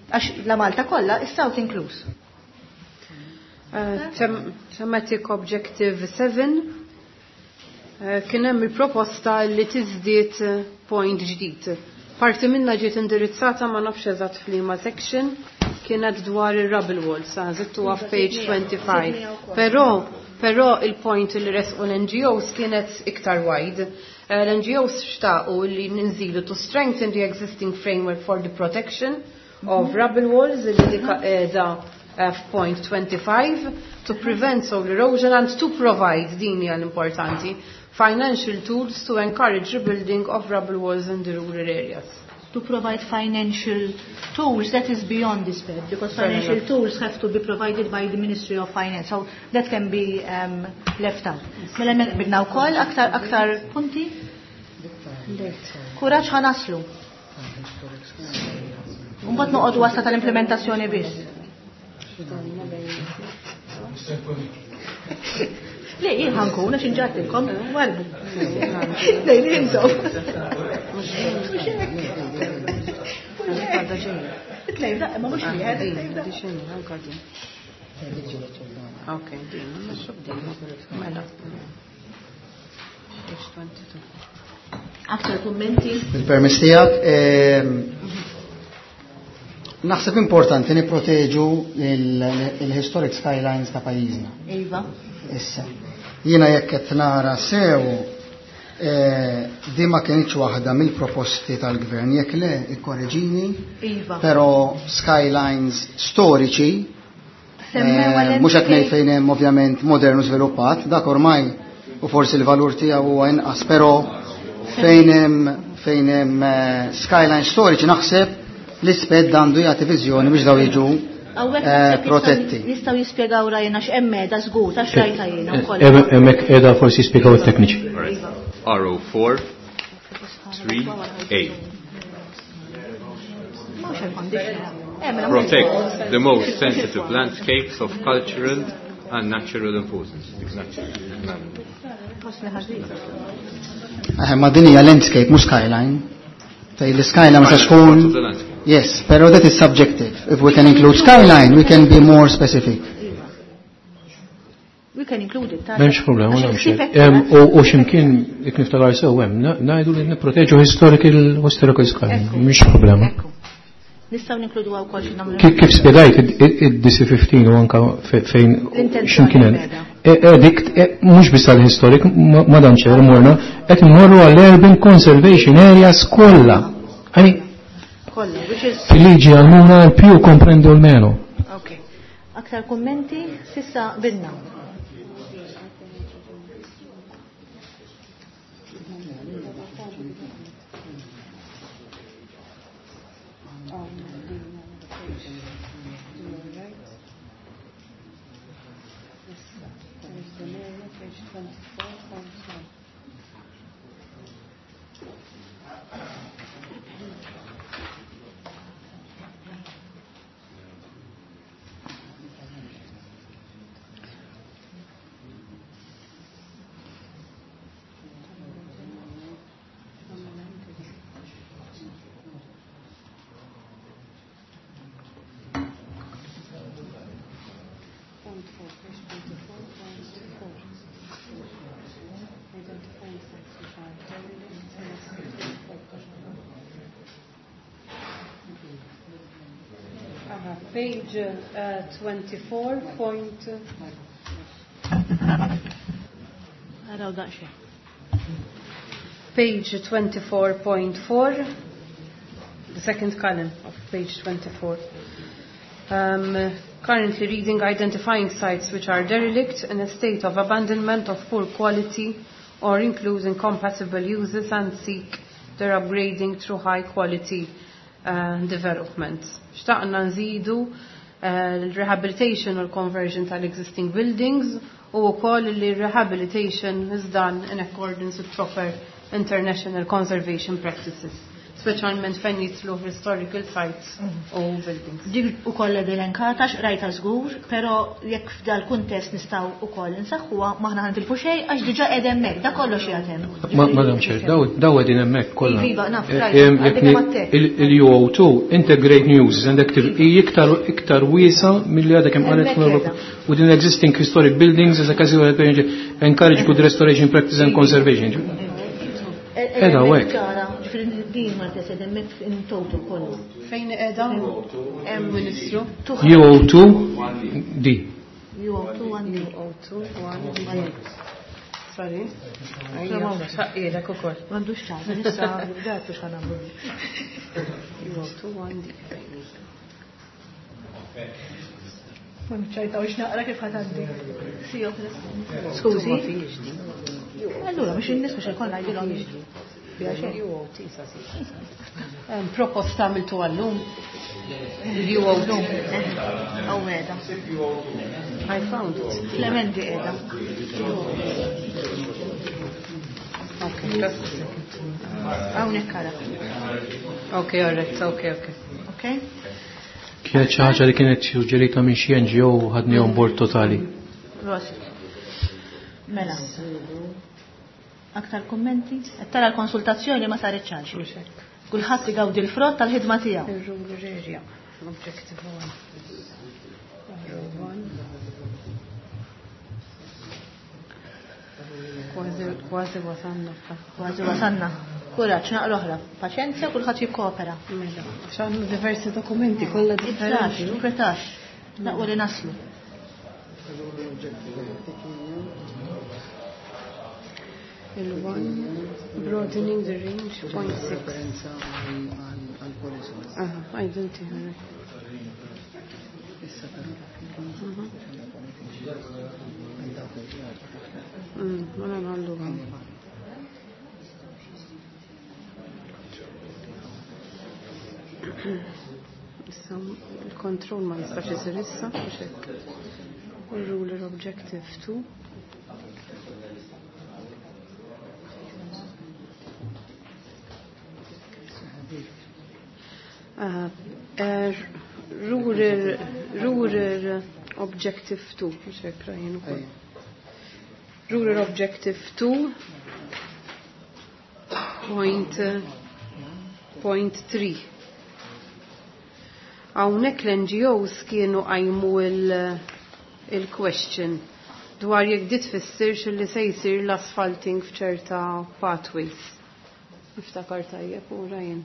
Għax la Malta kollha, is-South inkluż. Thematic Objective 7 kien hemm il-proposta li tiżdied point ġdid. Parti minna ġiet indirizzata ma nafx eżatt f'liema section kienet dwar ir-rubble walls, żidtuha f'page 25. Però il-point li resqu l-NGOs kienet iktar wide. L-NGOs xtaqu li ninżidu to strengthen the existing framework for the protection of rubble walls li dik qiegħda f'point 25 to prevent soil erosion and to provide, din hija l-importanti, financial tools to encourage rebuilding of rubble walls in the rural areas. To provide financial tools, that is beyond this bed, because Fair financial enough. tools have to be provided by the Ministry of Finance, so that can be left out. Mela bidna wkoll aktar punti? Kuraġġ ħanaslu. Mbagħad noqogħdu wasa tal-implementazzjoni biss. Le, jien ħankun għax inġartilkom, warbu. Le, li intom. Tlejn, da, ma mhux wieħed, tlejn, da. Ok, din, ma xub din. Mela. Page 22. Aktar kummenti? Il-permess tiegħek, naħseb importanti nipproteġu il-historic skylines ta' pajjiżna. Iva. Issa, jiena jekk qed nara sew, di ma kienx waħda mill-proposti tal-gvern, jekk le ikkoreġini, Iva. però skylines storiċi, Semmew għal mhux qed ngħid NK. fejn hemm ovvjament modern u żviluppat, dak ormai u forsi l-valur tiegħu huwa inqas, però fejn hemm skyline storiċi naħseb l-isped għandu jagħti viżjoni biex daw jiġu Hawnhekk naħseb protetti. Nistgħu jispjegaw rajna x'hemm qiegħda żgur, ta' xrajta jiena wkoll. Hemmhekk qiegħda forsi jispjegaw it-tekniċi. RO4 3A. Mhux hemm condition. Mela mhux Protect hemm. the most sensitive landscapes of cultural and natural importance. Ma din hija landscape, mhux skyline. Tej l-skyline ma Part tkun of the landscape. Yes, pero that is subjective. If we can include skyline, we can be more specific. We can include it. M'hemmx problema, Għax m'hemmx. il-ksib hekk U x'imkien jekk niftakar sew hemm, ngħidu li nipproteġu historical skyline, Ekku. mhix problema. Ekku. Nistgħu ninkludu wkoll xi nagħmlu. Kif spjegajt id-DC15 u anka fejn L-intenzjoni x'imkien hemm. qiegħda. Dik, mhux biss għall-historic, Madam Chair, morna, qed immorru għall-urban conservation areas kollha. Għani, Kollha, which is fil-liġi għalmuna l-più comprendo l-meno. Ok. Aktar kummenti, sissa binna. Page 24 point. Araw daqsxejn. Page 24.4, the second column of page 24. Currently reading, identifying sites which are derelict in a state of abandonment of poor quality or include incompatible uses and seek their upgrading through high quality development. Xtaqna nżidu l-rehabilitation or conversion tal-existing buildings u wkoll li rehabilitation is done in accordance with proper international conservation practices. Speċjalment fejn jidħlu historical sites u buildings. Dik ukoll elenkata x'rajta żgur, però jekk f'dal kuntest nistgħu ukoll insaħħuha m'aħna ħa nitilfu xejn għax diġà qiegħed hemmhekk, da kollox qiegħed hemm. Madam Chair, daw qegħdin hemmhekk kollha. Iva, naf, rajt, għadek għattek. Il-UO2 integrate new uses and active hi iktar wiesa milli għadha kemm qalet Hemmhekk l-Ewropa. qiegħda. Within existing historic buildings as a casual encourage good restoration practice and conservation. Edha Hemmhekk hekk. ċara, ġifieri din ma tesed hemmhekk in total kollu. Fejn qiegħda hemm Ministru? UO2 D. UO2 1 D. UO2 1 D. Sorry. Ejja, ukoll. M'għandux ċans, issa bdatu x'ħa nagħmlu. UO2 1 D. Ma nċajtawx naqra kif ħadd għandi. Skużi. Allura mhux in-nies mhux ikollna jgħidilhom biha xejn. UOT sa Proposta għamiltu għallum. Il-UOT. Aw qiegħda. I found it. Fl-emendi qiegħda. Okay, just a second. Hawnhekk ara. Okay, all right, okay, okay. Okay? Kienet xi ħaġa li kienet suġġerita minn xi NGO u ħadni on board totali. Prosit. Mela. Aktar kummenti? Qed tara l-konsultazzjoni ma saret xi. Mhux hekk. Kulħadd igawdi l-frott tal-ħidma tiegħu. Il-rural area, objective 1. R1. Kważi, kważi wasanna. Kważi wasanna. Kuraġġ, naqra oħra. Paċenzja, kulħadd jikkopera. Mela, għax għandna diversi dokumenti kollha Ibżax, differenti. inkwetax. Naqwa li naslu. Il-1, broadening the range, 0.6. Referenza għal-policy. Aha, identify. Issa però għal dawk il-ġar. Mela nagħmlu għam. Issa il-kontroll ma jistax isir issa, mhux hekk. U ruler objective 2. Aha, rural objective 2, mhux hekk rajn ukoll. Rural objective 2 point, point 3. Hawnhekk l-NGOs kienu qajmu il-question dwar jekk dit tfissirx li se jsir l-asphalting f'ċerta pathways. Niftakar tajjeb u rajn.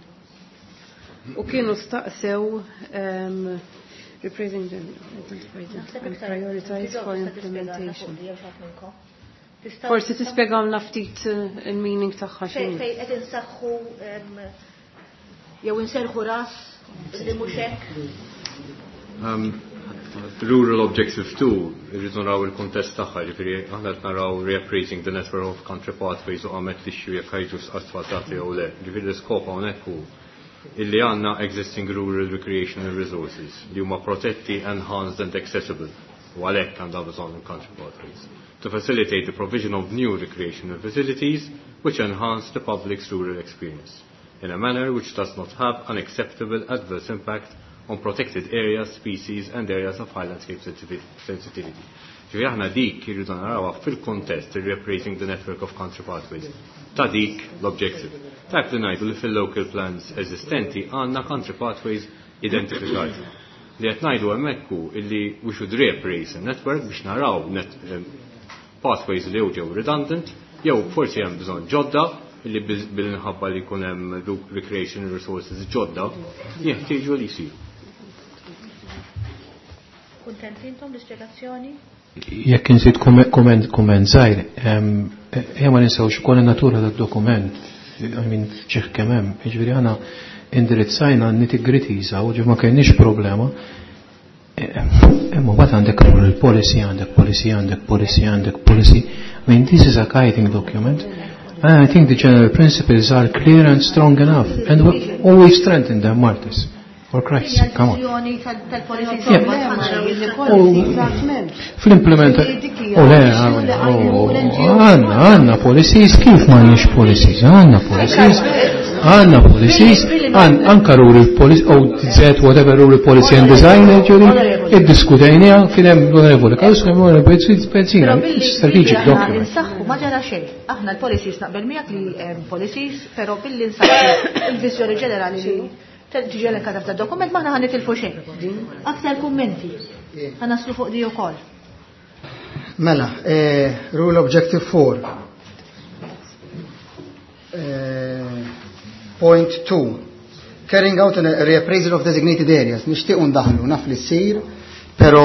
U kienu staqsew repraising the identified and prioritize for implementation. Forsi tispjegawna ftit il-meaning tagħha Fej x'inhi. fej qed insaħħu jew inserħu ras li mhux hekk. Rural Objective 2, irridu naraw il-kontest tagħha, ġifieri aħna qed naraw reappraising the network of country pathways u qamet l-issue jekk ħajġu asfaltati jew le. Ġifieri l-iskop hawnhekk hu illi għandna existing rural recreational resources li huma protetti, enhanced and accessible. U għalhekk għandha bżonn il-country pathways. To facilitate the provision of new recreational facilities which enhance the public's rural experience in a manner which does not have an acceptable adverse impact on protected areas, species and areas of high landscape sensitivity. Ġifieri aħna dik irridu narawha fil-kontest il-reappraising the network of country pathways. Ta' dik l-objective. Tajb li ngħidu li fil-local plans eżistenti għandna country pathways identifikati. Li qed ngħidu hemmhekk hu illi we should reappraise the network biex naraw pathways li jew ġew redundant, jew forsi hemm bżonn ġodda illi bil-inħabba li jkun hemm recreation resources ġodda jeħtieġu li jsiru. Kuntent intom l-ispjegazzjoni? Jekk inżid kumment żgħir, ejja ma ninsewx ukoll in-natura tad-dokument, I mean, f'ċieħ kemm hemm, jiġifieri aħna indirizzajna nitty-gritties u ġif ma kienx problema. Imma mbagħad għandek rural policy, għandek policy, għandek policy, għandek policy. I mean, this is a guiding document. And I think the general principles are clear and strong enough, and we always strengthen them, Martis. For Christ's sake, come on. Tal-policy Fl-implementa. Oh, le, għanna, għanna policies, kif ma għandniex policies, għanna policies. Għandna policies, anka rural policy, OZ, whatever rural policy and design, ġuri, iddiskutejniha kien hemm l-onorevoli Karus, kien hemm l-onorevoli Benzina, strategic document. Insaħħu ma ġara xejn. Aħna l-policies naqbel miegħek li hemm policies, però billi nsaħħu il-viżjoni ġenerali li tiġi elenkata f'dan dokument m'aħna ħa nitilfu xejn. Aktar kummenti. Ħa naslu fuq di wkoll. Mela, rule objective 4. Point 2. Carrying out a reappraisal of designated areas. Nixtiequ ndaħlu, naf li ssir, pero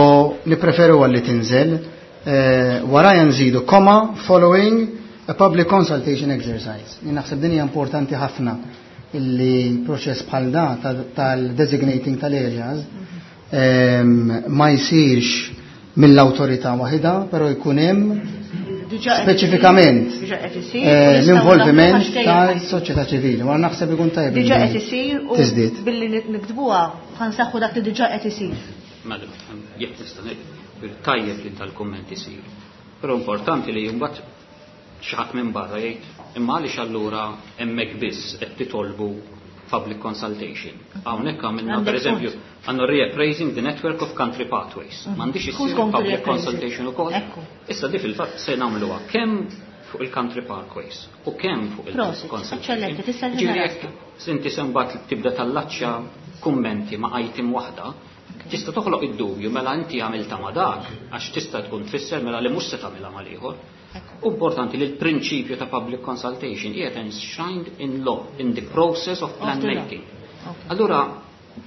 nipreferu għalli tinżel. Waraja nżidu comma following a public consultation exercise. Jien naħseb din hija importanti ħafna illi proċess bħal da tal-designating tal-areas ma jsirx mill-awtorità waħida, però jkun hemm speċifikament l-involviment tal-soċjetà ċivili. Wara naħseb ikun tajjeb. Diġà qed isir u billi niktbuha ħansaħħu dak li diġà qed isir. Madam, jekk nista' ngħid, tajjeb li tal-kumment isir. Però importanti li mbagħad xi ħadd minn barra jgħid imma għaliex allura hemmhekk biss qed titolbu public consultation. Hawnhekk għamilna pereżempju għandna reappraising the network of country pathways. M'għandix issir public consultation ukoll. Issa di fil-fatt se nagħmluha kemm fuq il-country parkways u kemm fuq il-consultation. Ġifieri jekk inti se mbagħad tibda tallaċċja kummenti ma' item waħda, tista' toħloq id-dubju mela inti għamilta ma' dak għax tista' tkun tfisser mela li mhux se tagħmilha mal-ieħor. Importanti li l-prinċipju ta' public consultation qiegħed enshrined in law, in the process of plan making. Allura,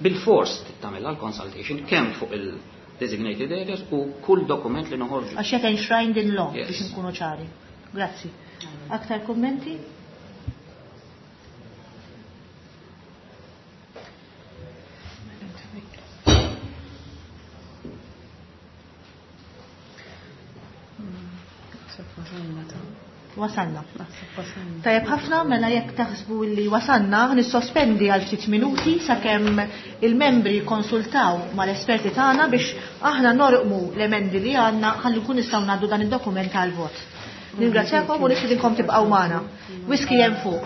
bil-fors tagħmilha l-consultation kemm fuq il-designated areas u kull dokument li noħorġu. Għax qed enshrined in law biex nkunu ċari. Grazzi. Aktar kummenti? Wasalna. Tajjeb ħafna, mela jekk taħsbu li wasalna, nissospendi għal ftit minuti sakemm il-membri konsultaw mal-esperti tagħna biex aħna norqmu l-emendi li għandna ħalli nkun nistgħu ngħaddu dan id-dokument għal vot. Ningrazzjakom u nistidinkom tibqgħu magħna. Whisky hemm fuq.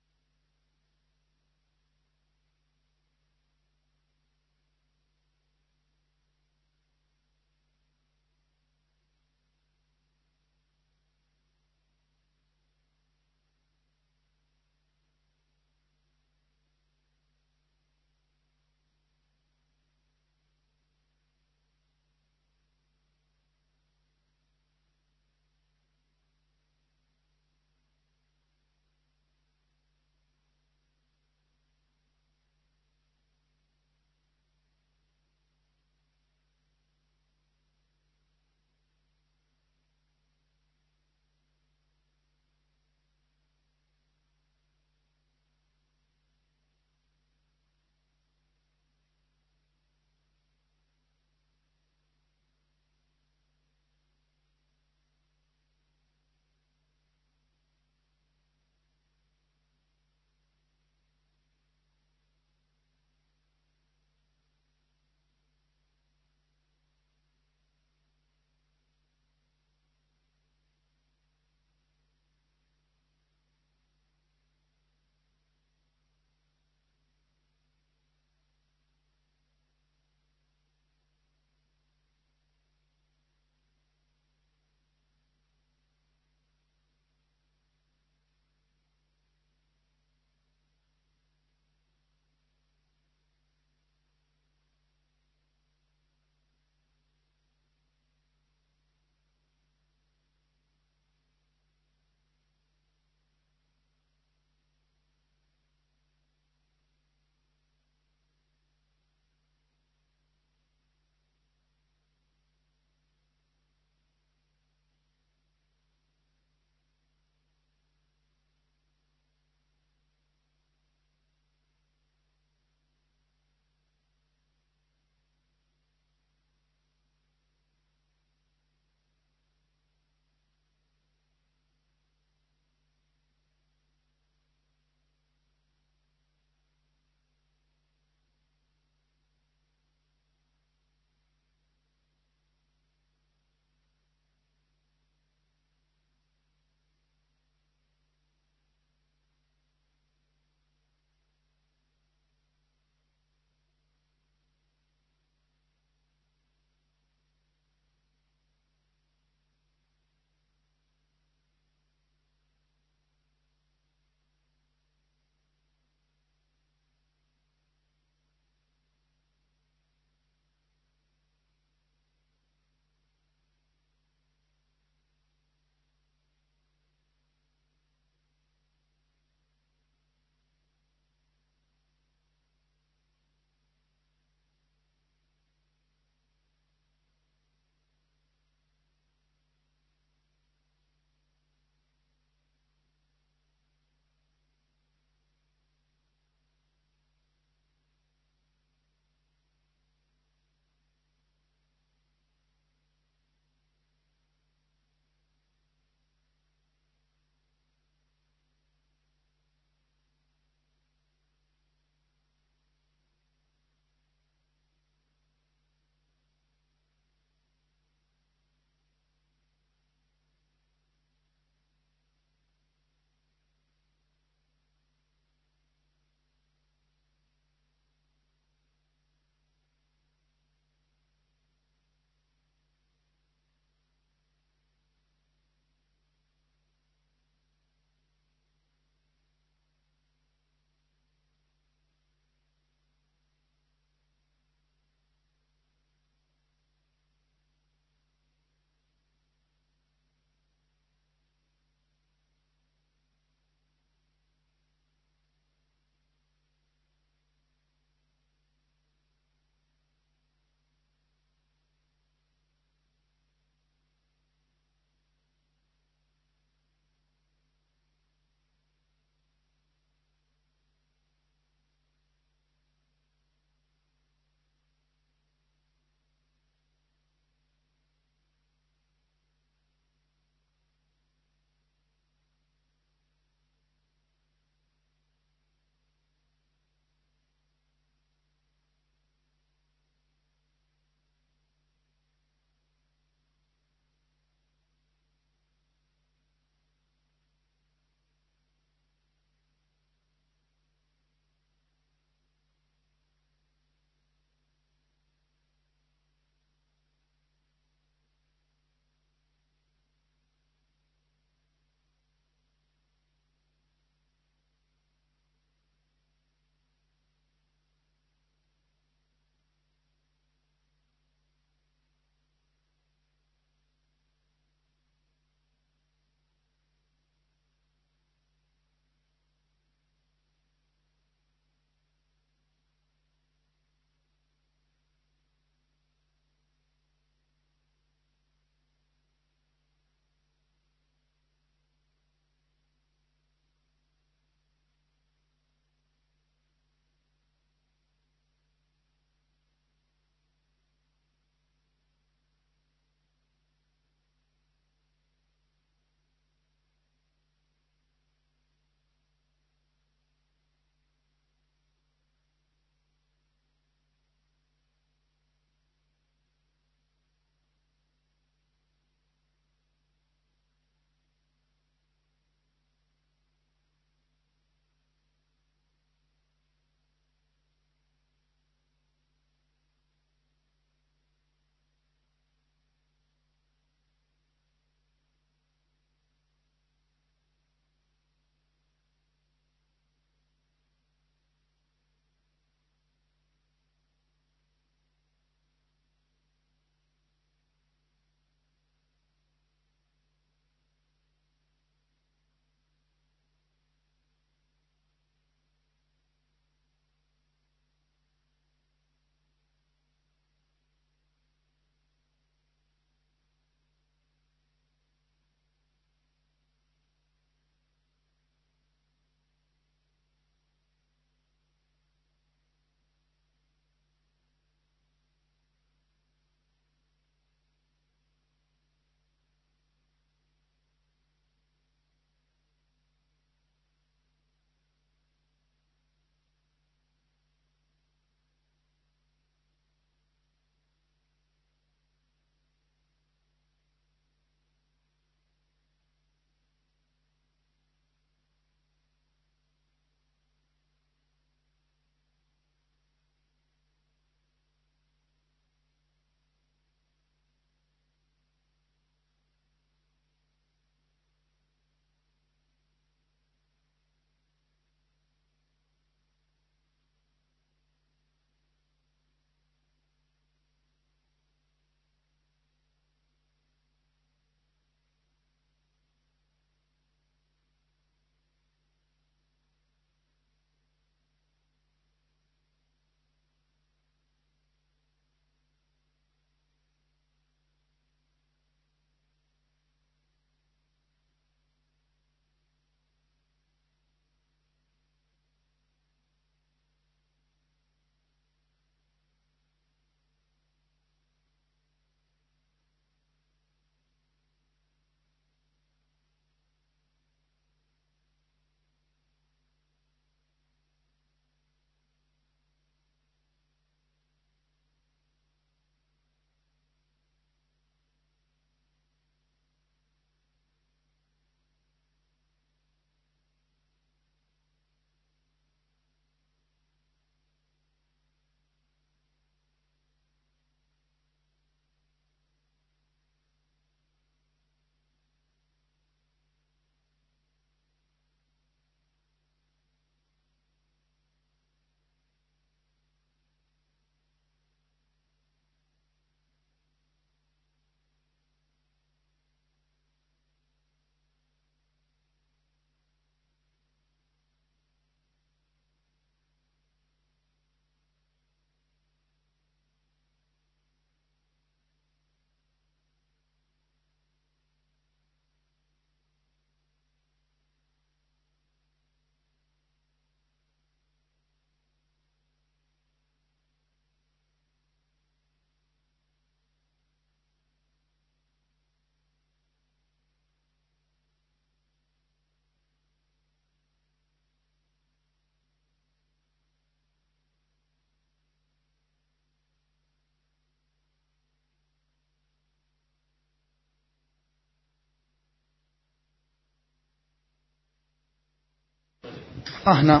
Aħna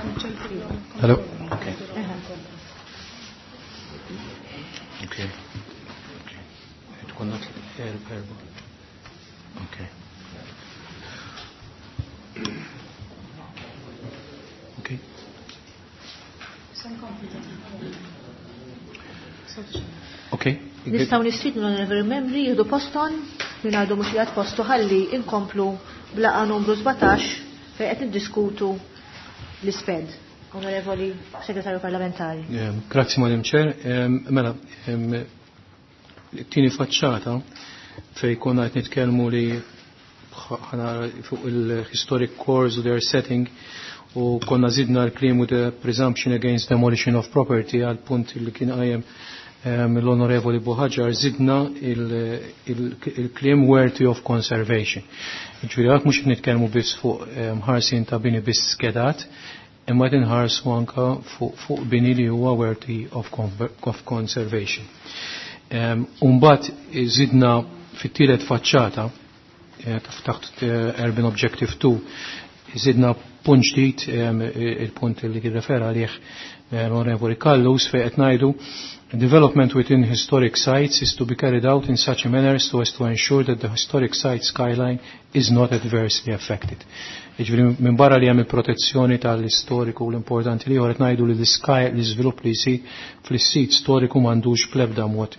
Hello? Okay. Okay. Tkun erba. Okay. Okay. Okay. Nistgħu nistiednu l-onorevoli membri jieħdu posthom minn għadu mhux qiegħed postu ħalli inkomplu blaqa numru 17 fejn qed niddiskutu l-isped. Onorevoli Segretarju Parlamentari. Grazzi Madam Chair. Mela, t-tieni faċċata fej konna qed nitkellmu li ħana fuq il-historic cores u their setting u konna zidna l-klim u the presumption against demolition of property għal punt li kien qajjem l-Onorevoli Buhaġar zidna il-klim worthy of conservation. Ġifieri għak mhux nitkellmu biss fuq ħarsin ta' bini biss skedat, imma qed inħarsu anka fuq bini li huwa worthy of conservation. Umbagħad zidna fit-tielet faċċata taħt Urban Objective 2 zidna punt ġdid, il-punt li kien refera għalih l-Onorevoli Callus, fejn qed ngħidu development within historic sites is to be carried out in such a manner so as to ensure that the historic site skyline is not adversely affected. Jiġifieri minn barra li hemm il-protezzjoni tal-istoriku u l-importanti li qed ngħidu li l-iżvilupp li jsir fl-sit storiku m'għandux bl-ebda mod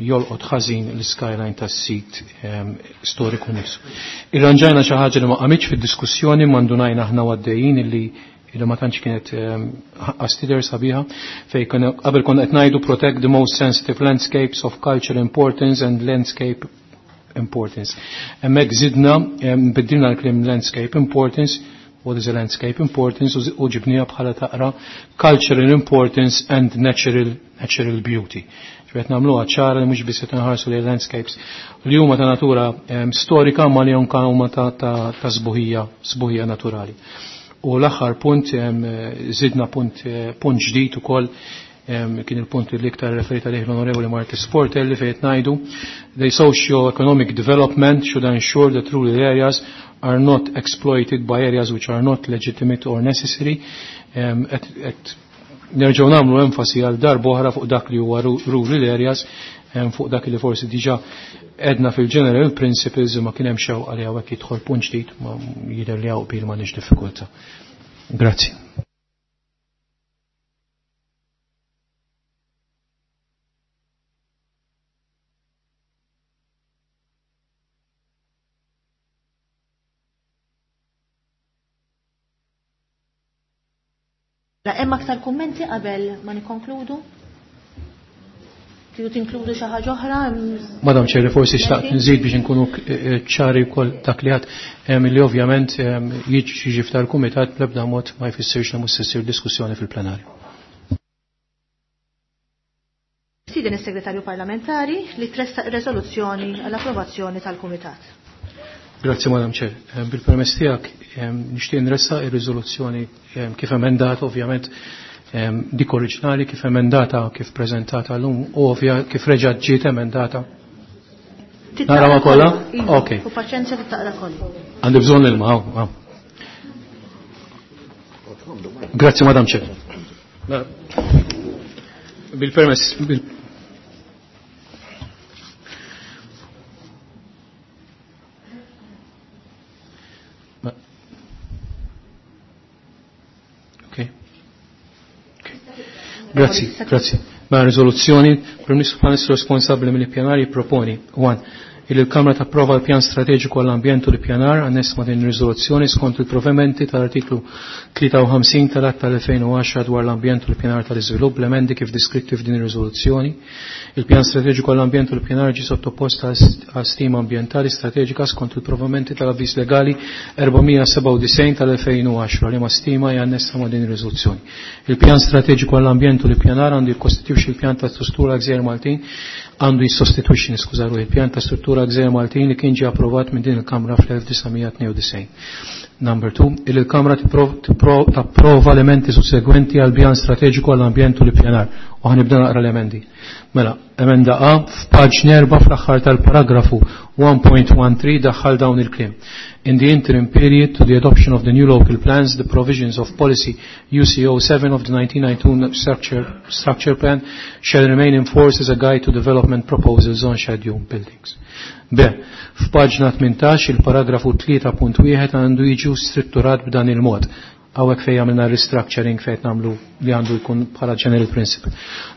jolqot ħażin l-skyline tas-sit storiku nifsu. Irranġajna xi ħaġa li ma qamitx fid-diskussjoni m'għandunajna aħna għaddejjin illi ma tantx kienet ħaqqas sabiħa fej qabel konna qed ngħidu protect the most sensitive landscapes of cultural importance and landscape importance. Hemmhekk żidna biddilna l-kliem landscape importance, what is a landscape importance, u ġibniha bħala taqra cultural importance and natural beauty. Ġifieri nagħmluha ċara li mhux biss qed inħarsu lejn landscapes li huma ta' natura storika ma li anke huma ta' sbuħija naturali. U l-aħħar punt żidna punt ġdid ukoll, kien il-punt li iktar referita lejh l-Onorevoli Martis Portelli fejn ngħidu the socio-economic development should ensure that rural areas are not exploited by areas which are not legitimate or necessary. Nerġgħu nagħmlu enfasi għal darba oħra fuq dak li huwa rural areas, fuq dak li forsi diġà edna fil-general principles ma kien hemm xewqa li hawnhekk jidħol punt ġdid ma jidher li hawn qbil m'għandniex diffikultà. Grazzi. Hemm aktar kummenti qabel ma nikkonkludu? Tridu tinkludu xi ħaġa oħra? Madam Chair, forsi xtaqt nżid biex inkunu ċari wkoll dak li għad li ovvjament jiġi f'tal kumitat bl-ebda mod ma jfissirx li mhux se ssir diskussjoni fil-plenarju. Siden is-Segretarju Parlamentari li tressaq ir-reżoluzzjoni għall-approvazzjoni tal-Kumitat. Grazzi Madam Chair. Bil-permess tiegħek nixtieq nressaq ir-riżoluzzjoni kif emendata ovvjament dik oriġinali kif emendata kif preżentata llum u ovvja kif reġa' ġiet emendata. Nara ma kollha? Okej. U paċenzja taqra kollha. Għandi bżonn l-ilma, hawn. Grazzi Madam Chair. Bil-permess Grazzi, grazzi. Ma' riżoluzzjoni, Prim Ministru bħala responsabbli mill-ippjanar jipproponi 1. Il il-Kamra tapprova l-pjan strateġiku għall-ambjent u l-ippjanar anness ma' din ir-riżoluzzjoni skont il-provvedimenti tal-artiklu 53 tal-Att tal-2010 dwar l-ambjent u l-ippjanar tal-iżvilupp l-emendi kif diskritti f'din ir-riżoluzzjoni. Il-pjan strateġiku għall-ambjent u l-ippjanar ġie sottopost għal stima ambjentali strateġika skont il-provvedimenti tal-avviż legali 497 tal-2010 li ma' stima hija annessa ma' din ir-riżoluzzjoni. Il-pjan strateġiku għall-ambjent u l-ippjanar għandu jikkostitwixxi l-pjan ta' struttura Gżejjer Maltin għandu jissostitwixxi niskuża ruħi il-pjan ta' struttura Gżejjer Maltin li kien ġie approvat minn din il-Kamra fl-1992. Number 2, il-Kamra tapprova elementi sussegwenti għal pjan strateġiku għall-ambjent u l-ippjanar. U ħa nibda naqra l-emendi. Mela, emenda A f'paġna 4 fl-aħħar tal-paragrafu 1.13 daħħal dawn il-kliem. In the interim period to the adoption of the new local plans, the provisions of policy UCO 7 of the 1992 structure plan shall remain in force as a guide to development proposals on scheduled buildings. B. F'paġna 18 il-paragrafu 3.1 għandu jiġu strutturat b'dan il-mod. Hawnhekk fejn għamilna restructuring fejn nagħmlu li għandu jkun bħala general principle.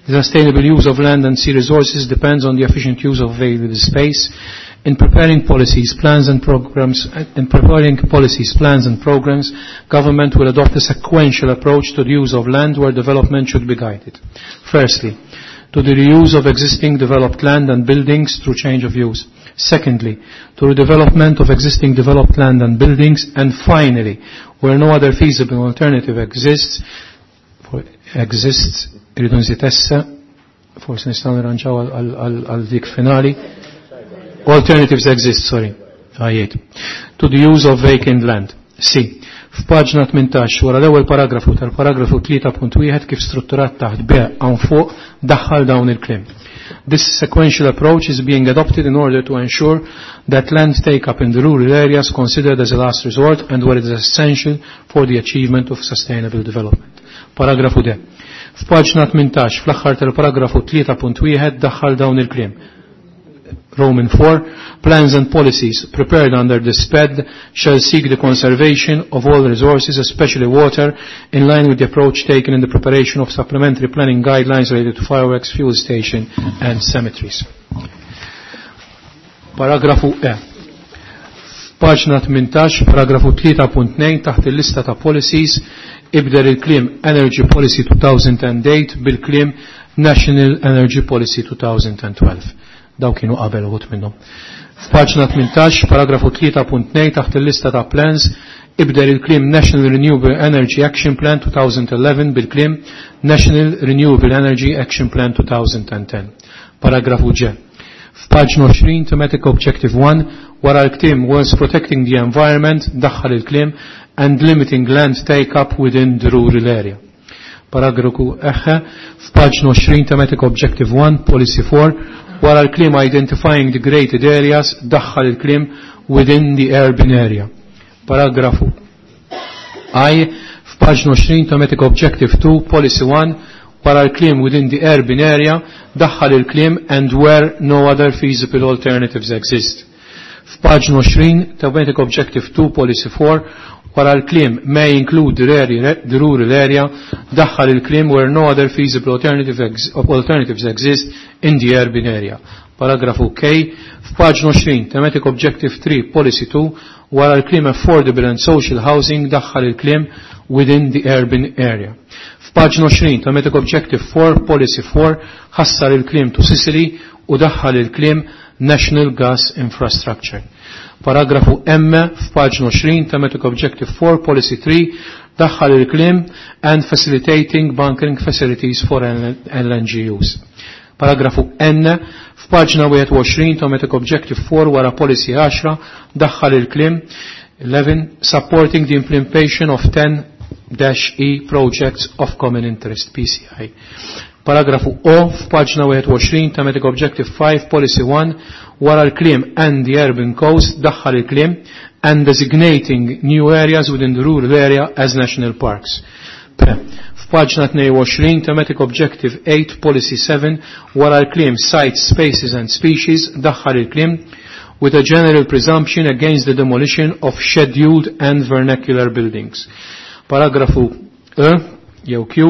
The sustainable use of land and sea resources depends on the efficient use of available space. In preparing policies, plans and programs, in preparing policies, plans and programs, government will adopt a sequential approach to the use of land where development should be guided. Firstly, to the reuse of existing developed land and buildings through change of use. Secondly, to redevelopment of existing developed land and buildings. And finally, where no other feasible alternative exists, for, exists, irridu nżid essa, forsi nistgħu nirranġaw għal dik finali. Alternatives exist, sorry. Għajiet. To the use of vacant land. C. F'paġna 18 wara l-ewwel paragrafu tal-paragrafu 3.1 kif strutturat taħt B hawn fuq daħħal dawn il-kliem. This sequential approach is being adopted in order to ensure that land take-up in the rural areas considered as a last resort and where it is essential for the achievement of sustainable development. Paragrafu D. F'paġna 18 fl-aħħar tal-paragrafu 3.1 daħħal dawn il-kliem. Roman 4, plans and policies prepared under the SPED shall seek the conservation of all resources, especially water, in line with the approach taken in the preparation of supplementary planning guidelines related to fireworks, fuel station and cemeteries. Paragrafu E. Paġna 18, paragrafu 3.2 taħt il-lista ta' policies, ibdel il-kliem Energy Policy 2008 bil-kliem National Energy Policy 2012. Daw kienu qabel uħud minnhom. F'paġna 18, paragrafu 3.2 taħt il-lista ta' plans, ibdel il-kliem National Renewable Energy Action Plan 2011 bil-kliem National Renewable Energy Action Plan 2010. Paragrafu G. F'paġna 20, Thematic Objective 1, wara l-kliem was protecting the environment, daħħal il-kliem and limiting land take-up within the rural area. Paragrafu H, f'paġna 20, Thematic Objective 1, Policy 4, wara l-kliem identifying degraded areas, daħħal il-kliem within the urban area. Paragrafu I, f'paġna 20, Thematic Objective 2, Policy 1, wara l-kliem within the urban area, daħħal il-kliem and where no other feasible alternatives exist. F'paġna 20, Thematic Objective 2, Policy 4, wara l-kliem may include the rural area, daħħal il-kliem where no other feasible alternatives exist in the urban area. Paragrafu K, f'paġna 20, Thematic Objective 3, Policy 2, wara l-kliem affordable and social housing, daħħal il-kliem within the urban area. F'paġna 20, Thematic Objective 4, Policy 4, ħassar il-kliem to Sicily u daħħal il-kliem National Gas Infrastructure. Paragrafu M f'paġna 20, Thematic Objective 4, Policy 3, daħħal il-kliem and facilitating bunkering facilities for LNG use. Paragrafu N f'paġna 21, Thematic Objective 4, wara Policy 10, daħħal il-kliem 11, supporting the implementation of 10-E projects of common interest, PCI. Paragrafu O f'paġna 21, Thematic Objective 5, Policy 1, wara l-kliem and the urban coast, daħħal il-kliem and designating new areas within the rural area as national parks. P. F'paġna 22, Thematic Objective 8, Policy 7, wara l-kliem sites, spaces and species, daħħal il-kliem with a general presumption against the demolition of scheduled and vernacular buildings. Paragrafu E, jew Q,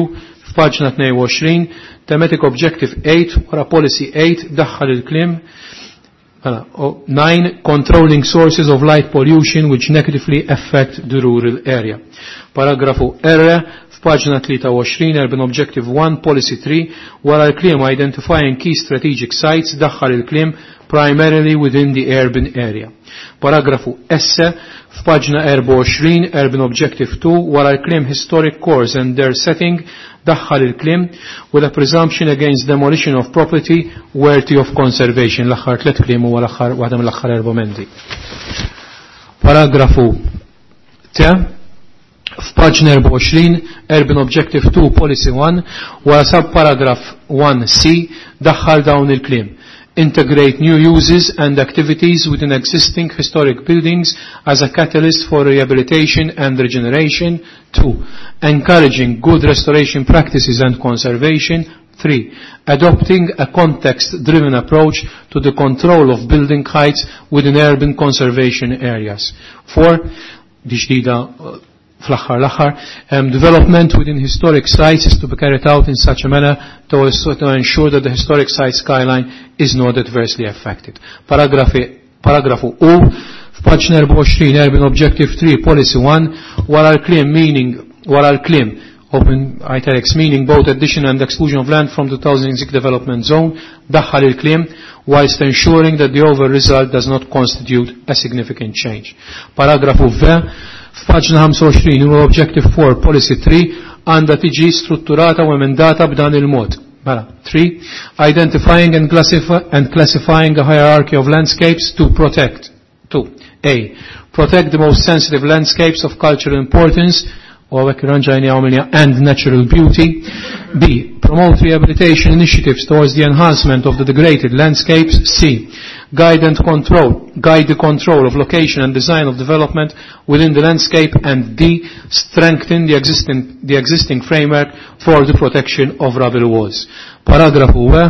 f'paġna 22, Thematic Objective 8, wara Policy 8, daħħal il-kliem 9, controlling sources of light pollution which negatively affect the rural area. Paragrafu R, f'paġna 23, Urban Objective 1, Policy 3, wara l-kliem identifying key strategic sites, daħħal il-kliem primarily within the urban area. Paragrafu S, f'paġna 24, Urban Objective 2, wara l-kliem historic cores and their setting, daħħal il-kliem with a presumption against demolition of property worthy of conservation. L-aħħar tliet kliem huwa l-aħħar waħda mill-aħħar argumenti. Paragrafu T, f'paġna 24, Urban Objective 2, Policy 1, wara subparagraf 1C daħħal dawn il-kliem. Integrate new uses and activities within existing historic buildings as a catalyst for rehabilitation and regeneration. 2. Encouraging good restoration practices and conservation. 3. Adopting a context-driven approach to the control of building heights within urban conservation areas. 4. Di fl-aħħar l-aħħar, development within historic sites is to be carried out in such a manner to, to ensure that the historic site skyline is not adversely affected. Paragrafi, paragrafu U, f'paġna 24, Urban Objective 3, Policy 1, wara l-kliem meaning, wara l-kliem open italics meaning both addition and exclusion of land from the 2006 development zone, daħħal il-kliem, whilst ensuring that the overall result does not constitute a significant change. Paragrafu V, F'paġna 25 huwa Objective 4 Policy 3 għandha tiġi strutturata u emendata b'dan il-mod. Mela, 3. Identifying and, classify, and classifying a hierarchy of landscapes to protect. 2. A. Protect the most sensitive landscapes of cultural importance u għawek ranġajni għamilja and natural beauty. B. Promote rehabilitation initiatives towards the enhancement of the degraded landscapes. C. Guide and control, guide the control of location and design of development within the landscape. And D. Strengthen the existing, the existing framework for the protection of rubble walls. Paragrafu U,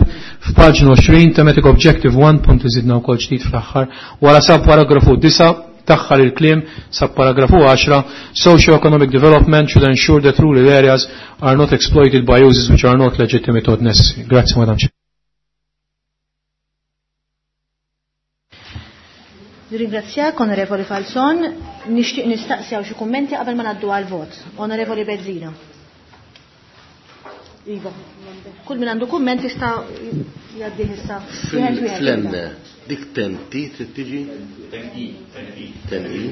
f'paġna 20, thematic objective 1, punt iżidna wkoll ġdid fl-aħħar, wara sab paragrafu 9, taħħal il-klim sa paragrafu 10 socio-economic development should ensure that rural areas are not exploited by users which are not legitimate or necessary. Grazie, Madam Chair. Ringrazzjak, Onorevoli Falson. Nixtieq nistaqsi xi kummenti qabel ma ngħaddu għal vot. Onorevoli Bezzina. Iva. Kull min għandu kumment jista' jgħaddih issa. Fl-emme, dik tenti trid tiġi? Ten I.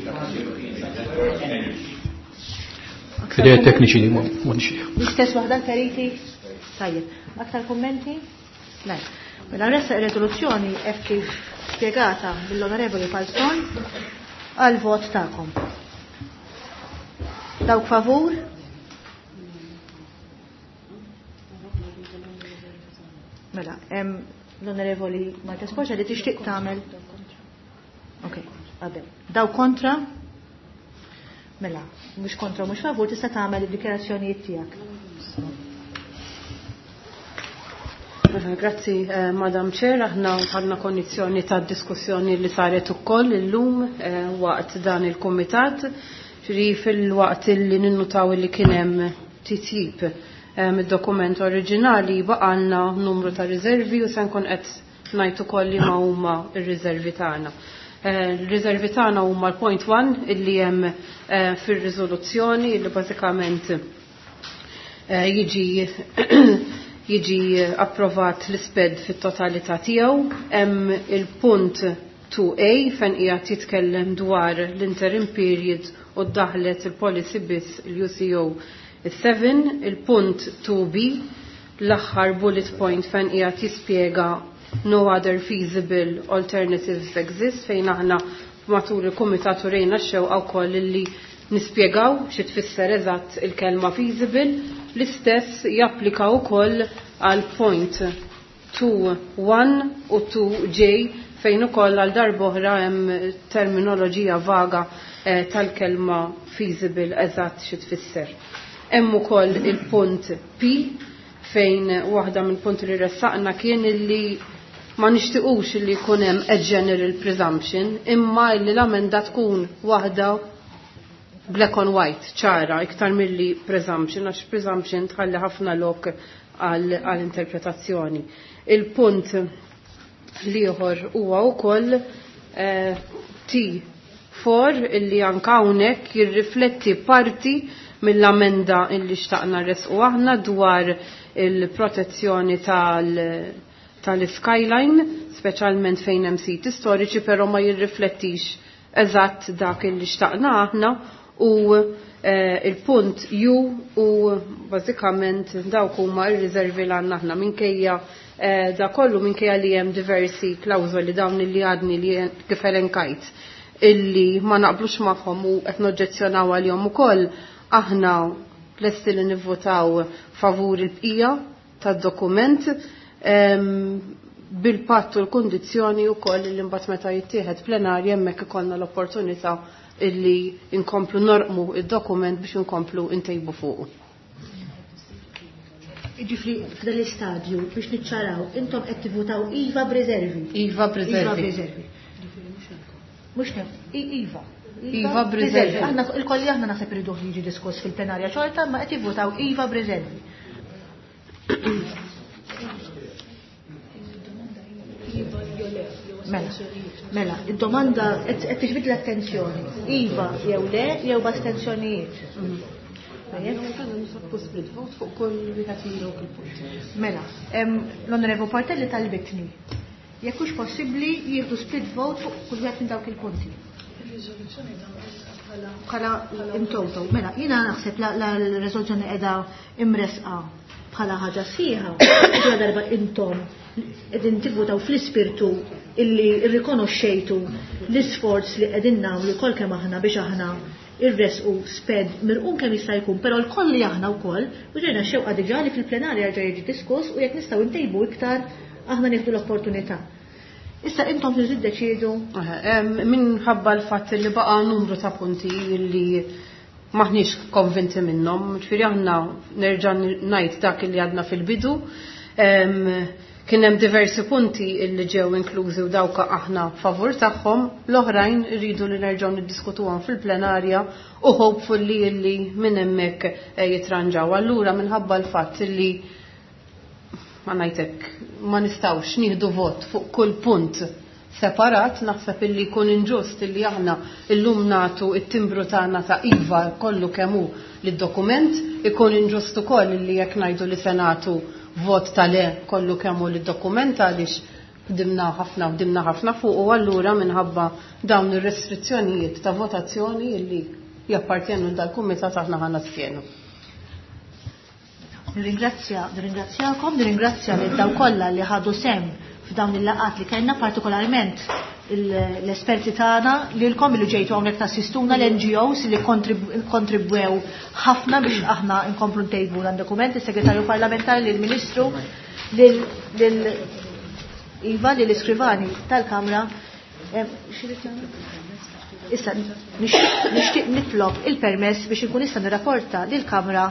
Fidej tekniċi li ma nixtieq. L-istess waħda l-periti? Tajjeb. Aktar kummenti? Le. Mela nressaq ir-riżoluzzjoni hekk kif spjegata mill-Onorevoli Falzon għal vot tagħkom. Dawk favur? Mela, hemm l-Onorevoli Marta Spoċa li tixtieq tagħmel. Ok, għadem. Daw kontra? Mela, mhux kontra mhux favur tista' tagħmel id-dikjarazzjonijiet tiegħek. Grazzi, Madam Chair, aħna ħadna kondizzjoni ta' diskussjoni li saret ukoll illum waqt dan il-kumitat, ġri fil-waqt li ninnutaw li kien hemm titjib mid-dokument oriġinali baqalna numru ta' riservi u se nkun qed ngħid ukoll li ma huma r-riservi tagħna. Il-riservi tagħna huma l-point 1 illi hemm fir-riżoluzzjoni illi bażikament jiġi jiġi approvat l-isped fit-totalità tiegħu. Hemm il-punt 2A fejn qiegħed jitkellem dwar l-interim period u ddaħlet il-policy biss l-UCO 7, il-punt 2B, l-aħħar bullet point fejn qiegħed jispjega no other feasible alternatives exist fejn aħna matul il-kumitat urejna x-xewqa wkoll illi nispjegaw xi tfisser eżatt il-kelma feasible, l-istess japplika wkoll għal point 2.1 u 2J fejn ukoll għal darb'oħra hemm terminoloġija vaga tal-kelma feasible eżatt xi tfisser. Hemm ukoll il-punt P fejn waħda mill-punti li ressaqna kien illi ma nixtiequx illi jkun hemm a general presumption imma illi l-amenda tkun waħda black on white, ċara, iktar milli presumption, għax presumption tħalli ħafna lok għal interpretazzjoni. Il-punt liħor huwa wkoll T4 illi anka hawnhekk jirrifletti parti mill-amenda illi xtaqna resqu aħna dwar il-protezzjoni tal-skyline, speċjalment fejn hemm siti storiċi, però ma jirriflettix eżatt dak illi xtaqna aħna u il-punt U u bażikament dawk huma r-riservi li għandna aħna minkejja da kollu minkejja li hemm diversi klawżoli dawn li għadni li kif elenkajt illi ma naqblux magħhom u qed noġġezzjonaw għalihom ukoll, aħna lesti li nivvotaw favur il-bqija tad-dokument bil-patt u l-kundizzjoni wkoll li mbagħad meta jittieħed plenarja hemmhekk ikollna l-opportunità illi nkomplu norqmu id-dokument biex inkomplu ntejbu fuqu. Ġifri, f'dan l-istadju biex niċċaraw, intom qed tivvutaw iva b'riservi. Iva b'riservi. Iva b'riservi. Mhux nef, iva. Iva b'riservi. Aħna il-kolli aħna naħseb iridu jiġi diskuss fil-plenarja xorta, ma qed jivvutaw iva b'riservi. Mela, mela, id-domanda qed tiġbid l-attenzjoni. Iva jew le jew b'astenzjonijiet. Mela, l-Onorevo Portelli talbitni. Jekk hux possibbli jieħdu split vote fuq kull wieħed minn dawk il-punti. Bħala in toto. Mela, jiena naħseb la l-riżoluzzjoni qiegħda imresqa bħala ħaġa sħiħa, ġara darba intom qegħdin tivvutaw fl-ispirtu illi rrikonoxxejtu l-isforz li qegħdin nagħmlu kol kemm aħna biex aħna irresqu sped mirqum kemm jista' jkun, però l-koll li aħna wkoll u ġejna xewqa diġà li fil-plenarja jerġa' jiġi diskuss u jekk nistgħu ntejbu iktar aħna nieħdu l-opportunità. Issa intom tridu tiddeċiedu. Minħabba l-fatt li baqa' numru ta' punti li maħniex konvinti minnhom, ġifieri aħna nerġa' ngħid dak li għadna fil-bidu. Kien hemm diversi punti li ġew inklużi u dawk aħna favur tagħhom, l-oħrajn rridu li nerġgħu niddiskutuhom fil-plenarja u hopefully li minn hemmhekk jitranġaw. Allura minħabba l-fatt li ma ngħidlek ma nistgħux nieħdu vot fuq kull punt separat, naħseb illi jkun inġust illi aħna illum nagħtu it-timbru tagħna ta' iva kollu kemm hu lid-dokument, ikun inġust ukoll illi jekk ngħidu li se nagħtu vot ta' le kollu kemm hu lid-dokument għaliex ħdimna ħafna u ħdimna ħafna fuq u allura minħabba dawn ir-restrizzjonijiet ta' votazzjoni illi jappartjenu dal-kumitat aħna ħa nastienu. Nirringrazzja, nirringrazzjakom, nirringrazzja lil daw kollha li ħadu sem f'dawn il-laqgħat li kellna, partikolarment l-esperti tagħna, lilkom li ġejtu hawnhekk tassistuna, l-N G Os li kontribwew ħafna biex aħna nkomplu ntejbu dan dokument, is-Segretarju Parlamentari, lill-Ministru, lil Iva, lill-Iskrivani tal-Kamra. Issa nixtieq nitlob il-permess biex inkun nista' nirrapporta lill-Kamra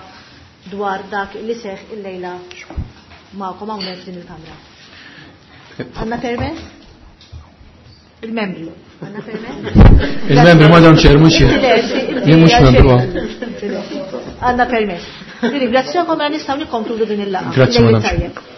dwar dak li seħ il-lejla magħkom hawnhekk f'din il-Kamra. Għandna permess? Il-membri. Għandna permess? Il-membri, Madam Chair, mhux jien. Jien mhux membru. Għandna permess. Nirringrazzjakom, għal nistgħu nikkonkludu din il-laqgħa. Grazzi, Lejl Madam Chair. tajjeb.